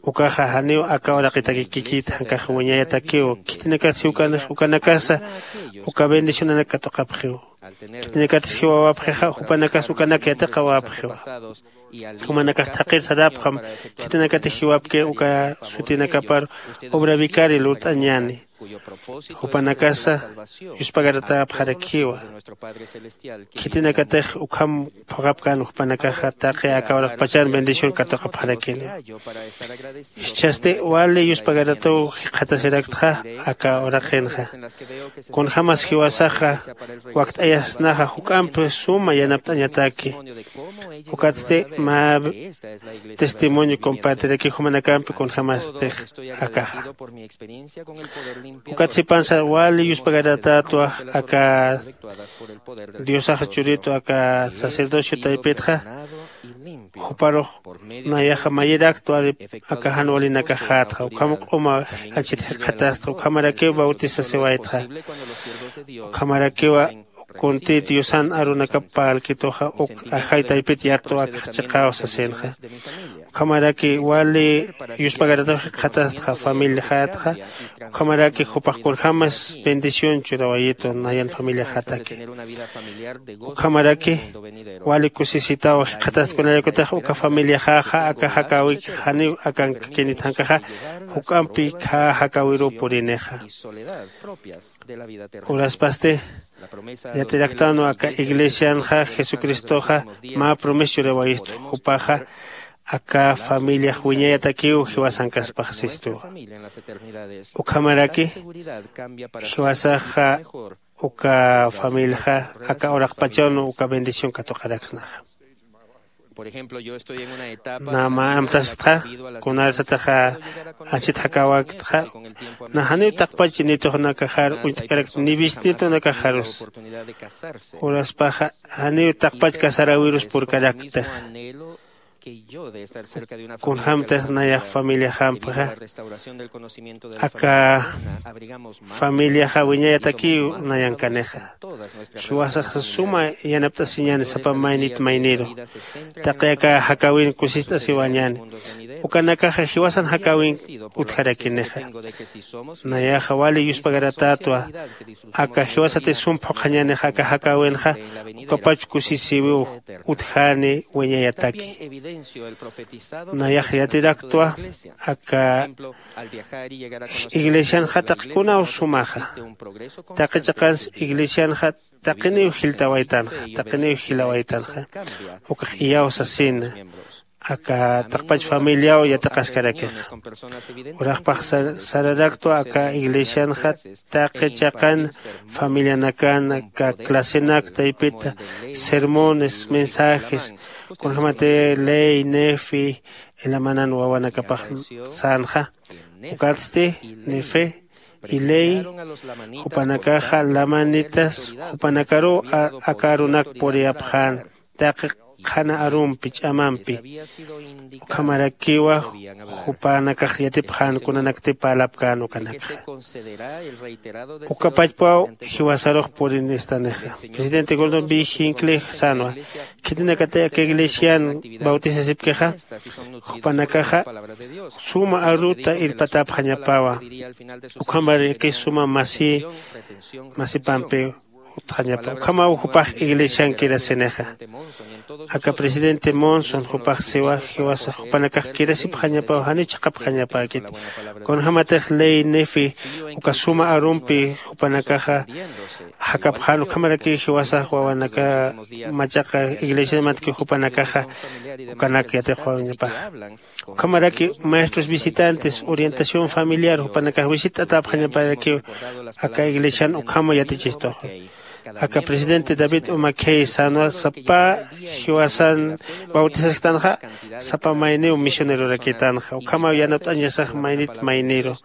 Ukaxa janiw aka uraqitaki kikit jankax wiñayatakiw. Khitinakat si ukanakasa uka bendicionanak katuqapxiw. Khitinakatis jiwawapxixa jupanakas ukanak yatiqawapxiwa. Jumanakax thaqhir sarapxam khitinakatix jiwapkir uka sutinakapar obra vicari lurt'añäni. Jupanakasa yuspagaratäpxarakiwa. Khitinakatix ukham phuqhapkän jupanakaxa taqi aka uraqpachan bendición katuqapxarakini. Jichhasti wali yuspagaratuw jikxatasiraktxa aka uraqinxa. Kunjämas jiwasaxa wakt'ayasnaxa juk'ampi suma yanapt'añataki. Ukatsti mä testimonio compartiraki jumanakampi kunjämastix akaxa. Ukat sipansa wali yuspagaratätwa aka diosax churitu aka sacerdocio taypitxa. Juparux nayaxa mayiraktwa aka jan walinakaxätxa ukham q'uma anchhit jikxatastxa ukhamarakiw bautisasiwaytxa. Ukhamarakiwa kunti diosan arunakap parlkituxa uk ajay taypit yattu akax chiqaw sasinxa. Ukhamaraki wali yuspagarataw jikxatastxa familiaxätxa. Ukhamaraki jupax kunjämas bendición churawayitu nayan familiaxätaki. Ukhamaraki wali kusisitaw jikxatast kunayakutix uka familiaxäxa aka jakäwik janiw akankakinit jankaxa juk'ampi khä jakäwiruw purinixa. Uraspasti yatiraktanwa aka iglesianxa jesucristoxa mä promesa churawayistu jupaxa aka familiax wiñayatakiw jiwasankaspax sistuwa. Ukhamaraki jiwasaxa uka familiaxa aka uraqpachanw uka bendición katuqaraksnaxa. Nä mä amtastxa kunarsataxa anchhit jakäwäktxa. Nä janiw taqpach nitux nakaxar uñt'karakta ni bisnietonakaxarus. Uraspaxa janiw taqpach casaräwirus purkarakta. Kunjämtix nayax familiaxampxa aka familiaxa wiñayatakiw nayankanixa. Jiwasax suma yanapt'asiñäni sapa maynit mayniru. Taqi aka jakäwin kusist'asiwañäni. Ukanakaxa jiwasan jakäwin utjarakinixa. Nayaxa wali yuspagaratätwa aka jiwasati sum phuqhañänixa aka jakäwinxa ukapach kusisïwiw utjäni wiñayataki. Nayax yatiraktwa aka iglesianxa taqi kunaw sumaxa. Taqi chiqans iglesianxa taqiniw jiltawaytanxa taqiniw jilawaytanxa. Ukax iyaw sasina aka taqpach familiaw yatiqaskarakixa. Uraxpax sararaktwa aka iglesianxa taqi chiqan familianakan aka clasenak taypita sermones mensajes kunjämati ley nefi ilamanan wawanakapax sänxa. Ukatsti nefe y ley jupanakaxa lamanitas jupanakaruw aka arunak puriyapxän taqi qhana arumpi ch'amampi. Ukhamarakiwa jupanakax yatipxän kunanakti parlapkän ukanakxa. Ukapachpaw jiwasarux purinistanixa. Presidente gordon b hinckley sänwa khitinakatix aka iglesian bautisasipkixa jupanakaxa suma aruta irpatäpxañapawa. Ukhamaraki suma masi masipampi utjañapa ukhamaw jupax iglesian kirasinixa. Aka presidente monson jupax siwa jiwasa jupanakax kirasipxañapaw janiw chiqapxañapäkiti. Kunjämatix ley nefi uka suma arumpi jupanakaxa jakapxän ukhamarakiw jiwasax wawanaka machaqa iglesiamatkiw jupanakaxa ukanak yatixwañapaxa. Ukhamaraki maestros visitantes orientación familiar jupanakax visitt'atäpxañaparakiw aka iglesian ukhama yatichistuxa. Aka presidente david umakhey sänwa sapa jiwasan bautisasktänxa sapa mayniw misionerorakïtänxa ukhamaw yanapt'añasax maynit mayniru.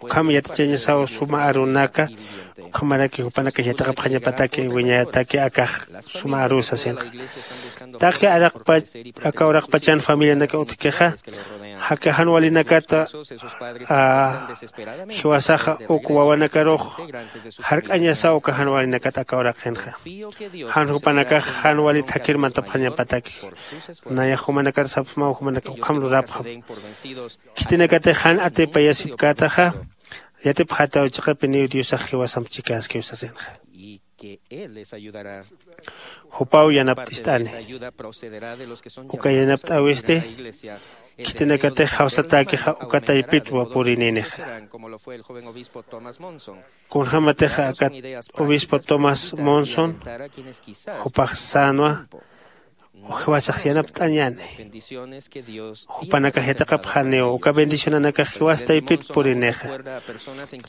Ukham yatichañasaw suma arunaka ukhamaraki jupanakax yatiqapxañapataki wiñayataki akax suma aruw sasinxa. Taqi araqpach aka uraqpachan familianaka utjkixa jaka jan walinakata jiwasaxa uk wawanakarux jark'añasaw uka jan walinakat aka uraqinxa. Jan jupanakax jan walit jakir mantapxañapataki. Nayax jumanakar sapxsmaw jumanakax ukham lurapxam. Khitinakatix jan atipayasipkätaxa yatipxätaw chiqapiniw diosax jiwasamp chikäskiw sasinxa. Jupaw yanapt'ist'ani. Uka yanapt'äwisti khitinakatix jawsatäkixa uka taypitwa purininixa. Kunjämatix aka obispo tomás monson jupax sänwa jiwasax yanapt'añäni. Jupanakax yatiqapxaniw uka bendicionanakax jiwas taypit purinixa.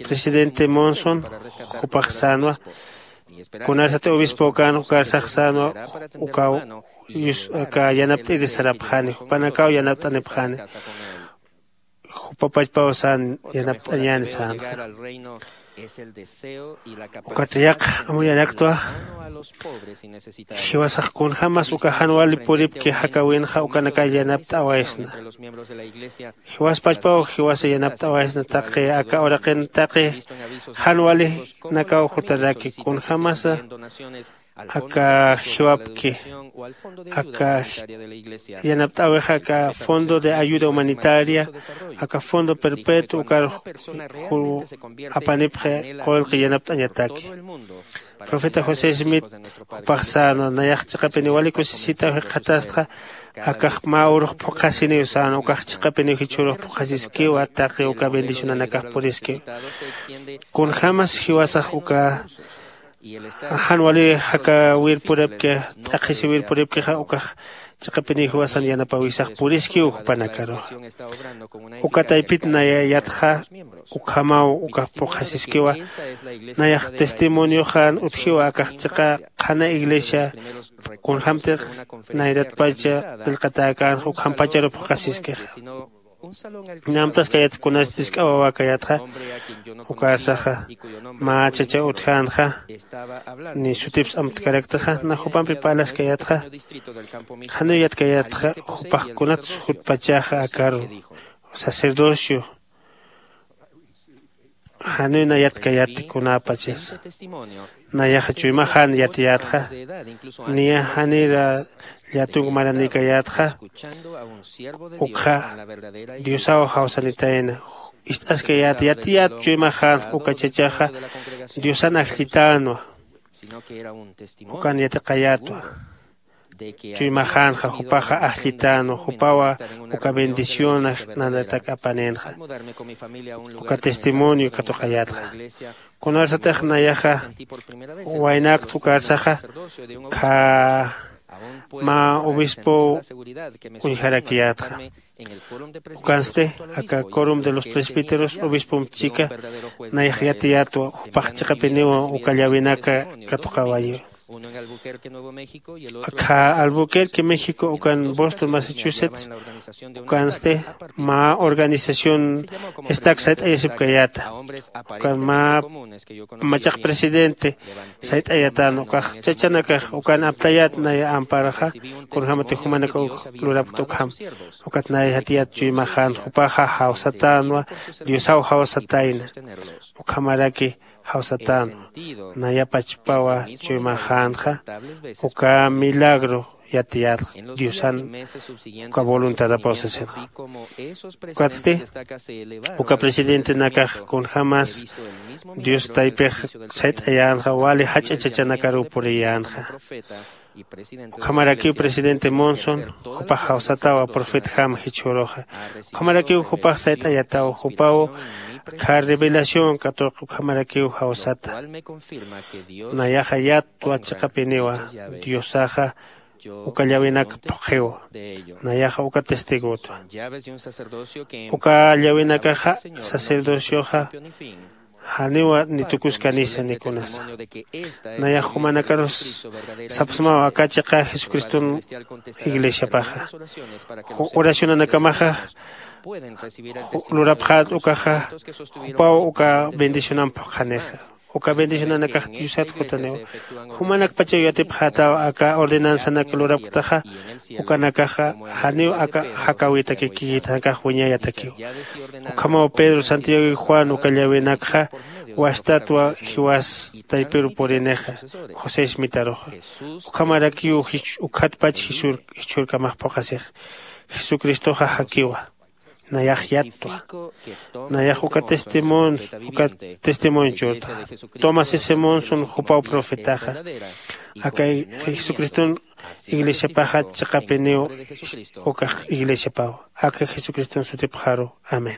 Presidente monson jupax sänwa kunasati obispokän ukarsax sänwa ukaw aka yanapt'iri sarapxani jupanakaw yanapt'anipxani. Jupapachpaw sän yanapt'añäni sänxa. Ukat yaqha amuyaraktwa jiwasax kunjämas uka jan wali puripki jakäwinxa ukanakar yanapt'awaysna. Jiwaspachpaw jiwasa yanapt'awaysna taqi aka uraqin taqi jan walinakaw jutaraki kunjämasa aka jiwapki aka yanapt'äwixa aka fondo de ayuda humanitaria aka fondo perpetuo ukar apanipxi qullqi yanapt'añataki. Profeta josé smith jupax sänwa nayax chiqapiniw wali kusisitaw jikxatastxa. Akax mä urux phuqhasiniw sänwa ukax chiqapiniw jichhürux phuqhasiskiwa taqi uka bendicionanakax puriskiw. Kunjämas jiwasax uka jan wali jakäwir puripki t'aqhisiwir puripkixa ukax chiqapiniw jiwasan yanapäwisax puriskiw jupanakaruxa. Uka taypit naya yatxa ukhamaw ukax phuqhasiskiwa. Nayax testimonioxan utjiwa akax chiqa qhana iglesia kunjämtix nayratpacha qillqatäkänxa ukhampacharu phuqhasiskixa. Namtaskayat kunas tisk'a wawakayatxa, ukarsaxa mä chacha utjänxa, ni sutips amtkaraktaxa, na jupampi parlaskayatxa, janiw yatkayatxa jupax kunats jutpachaxa akaru sacerdocio. Janiw nayatkayat kunapachasa. Nayaxa chuymaxan yatiyatxa, niya janira llatunk maranïkayatxa, ukxa diosaw jawsanitayna. Ist'askayat yatiyat chuymaxan uka chachaxa diosan ajllitänwa. Ukan yatiqayätwa. Chuymaxänxa jupaxa ajllitänwa jupawa uka bendicionax nanatak apanïnxa. Uka testimonio katuqayätxa. Kunarsatix nayaxa waynakt ukarsaxa khä mä obispow uñjarakiyätxa. Ukansti aka corum de los presbíteros obispomp chika nayax yatiyätwa jupax chiqapiniwa uka llawinaka katuqawayiwa. Akha albuquerque méxico ukan boston massachusetts ukansti mä organización estak sayt'ayasipkayäta. Ukan mä machaq presidente sayt'ayatän ukax chachanakax ukan aptayät naya amparaxa kunjämatix jumanaka uk lurapkta ukham. Ukat naya yatiyät chuymaxän jupaxa jawsatänwa diosaw jawsatayna. Ukhamaraki jawsatänwa naya pachpawa chuymaxänxa uka milagro yatiyätxa diosan uka voluntadapaw sasinxa. Ukatsti uka presidentenakax kunjämas dios taypix sayt'ayänxa wali jach'a chachanakaruw puriyänxa. Ukhamarakiw presidente monson jupax jawsatawa profetjam jichhüruxa. Ukhamarakiw jupax sayt'ayataw jupaw khä revelación katuq ukhamarakiw jawsata. Nayaxa yatwa chiqapiniwa diosaxa uka llawinaka phuqhiwa. Nayaxa uka testigotwa. Uka llawinakaxa sacerdocioxa janiwa ni tukuskanisa ni kunasa. Nayax jumanakarus sapsmaw aka chiqa jesucriston iglesiapaxa oracionanakamaxa lurapxät ukaxa jupaw uka bendicionamp phuqhanixa. Uka bendicionanakax diosat jutaniwa. Jumanakpachaw yatipxätaw aka ordenanzanak lurapktaxa ukanakaxa janiw aka jakäwitakikïtanakax wiñayatakiw. Ukhamaw pedro santiago y juan uka llawinakxa wastatwa jiwas taypiru purinixa josé smitaruxa. Ukhamarakiw ukhatpach jichhürkamax phuqhasix. Jesucristoxa jakiwa. Nayax yattwa. Nayax uka testimonio uka testimonio churta. Tomás s monson jupaw profetaxa aka jesucriston iglesiapaxa chiqapiniw ukax iglesiapaw. Aka jesucriston sutipxaru. Amén.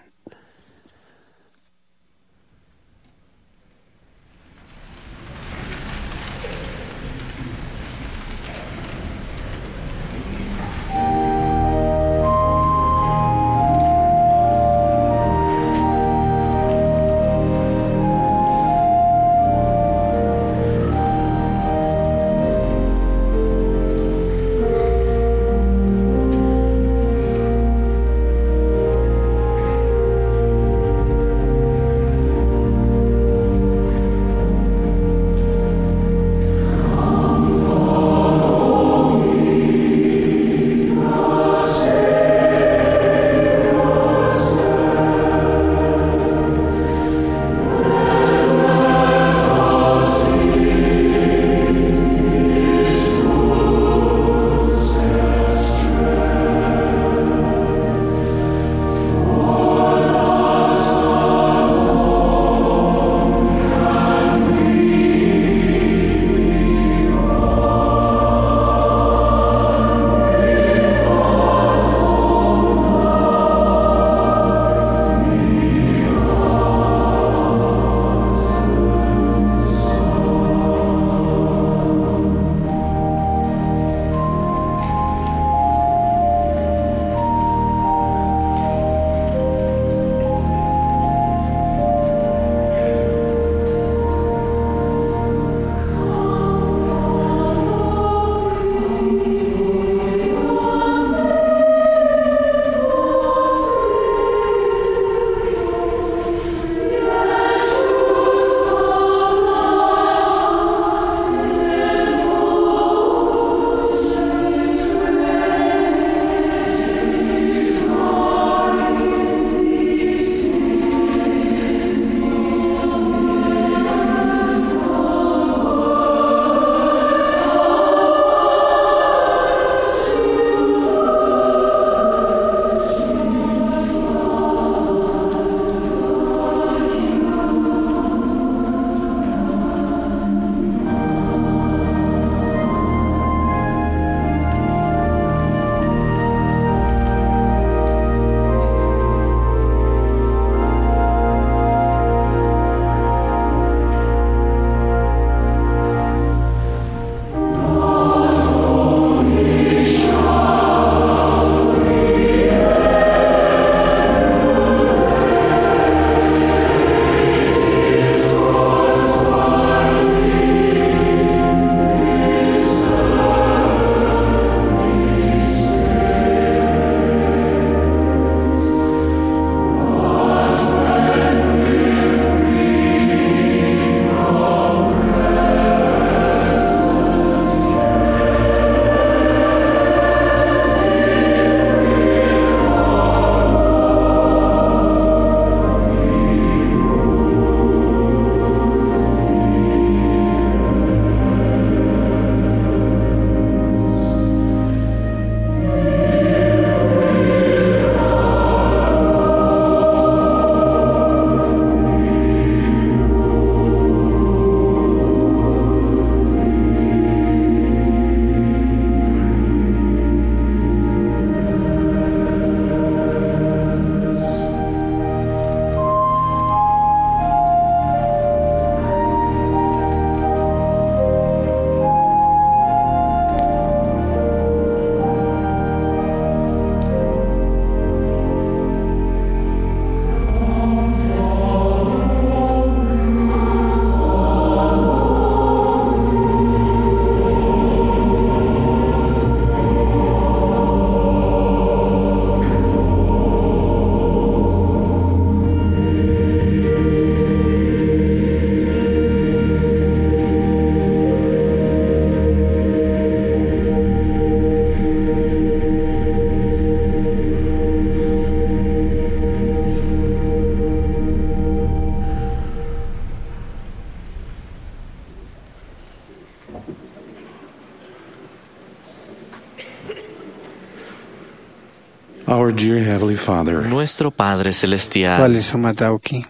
Our dear Heavenly Father, Nuestro Padre Celestial. Wali sumat awki.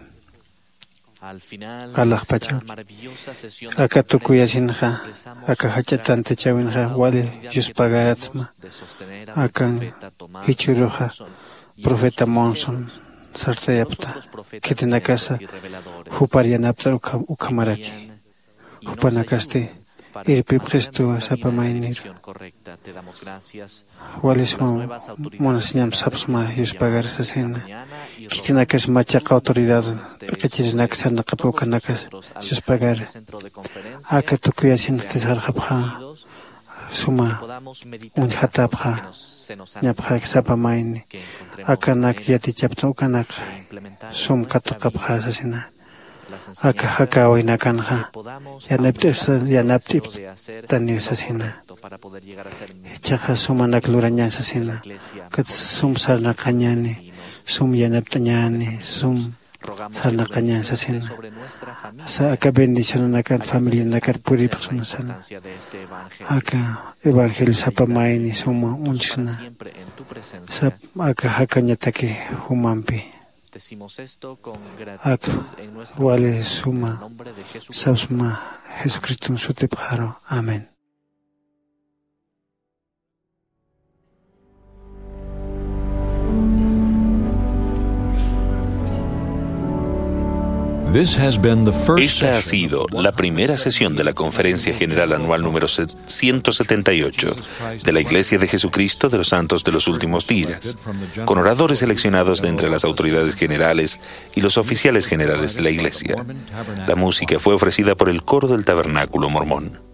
Al final de esta maravillosa sesión de aka tukuyasinxa, aka jach'a tantachawinxa wali yuspagaratsma. Akan jichhüruxa profeta Monson sartayapxta, khitinakasa jupar yanapt'ar ukhamaraki. Jupanakasti irpipxistuwa sapa mayniru. Wali suma munasiñamp sapsma yuspagar sasina. Khitinakas machaqa autoridad p'iqichirinak sarnaqapaw ukhanakas yuspagar. Aka tukuyasinxti sarxapxä suma uñjatapxä. Ñapxäki sapa mayni akanak yatichapta ukanak sum katuqapxä sasina. Aka jakawinakanxa yanapt'iptaniw sasina. Jichhaxa sumanak lurañan sasina. Ukat sum sarnaqañani, sum yanapt'añani, sum sarnaqañan sasina. Aka bendicionanakat familianakat puripxsna sana. Aka evangelio sapa mayni suma uñchksna. Aka jakañataki jumampi. Ak wali suma sapsma Jesucriston sutipxaru. Amén. This has been the first Esta ha session sido la primera sesión de la Conferencia General Anual número ciento setenta y ocho de la Iglesia de Jesucristo de los Santos de los Últimos Días, con oradores seleccionados de entre las autoridades generales y los oficiales generales de la Iglesia. La música fue ofrecida por el Coro del Tabernáculo Mormón.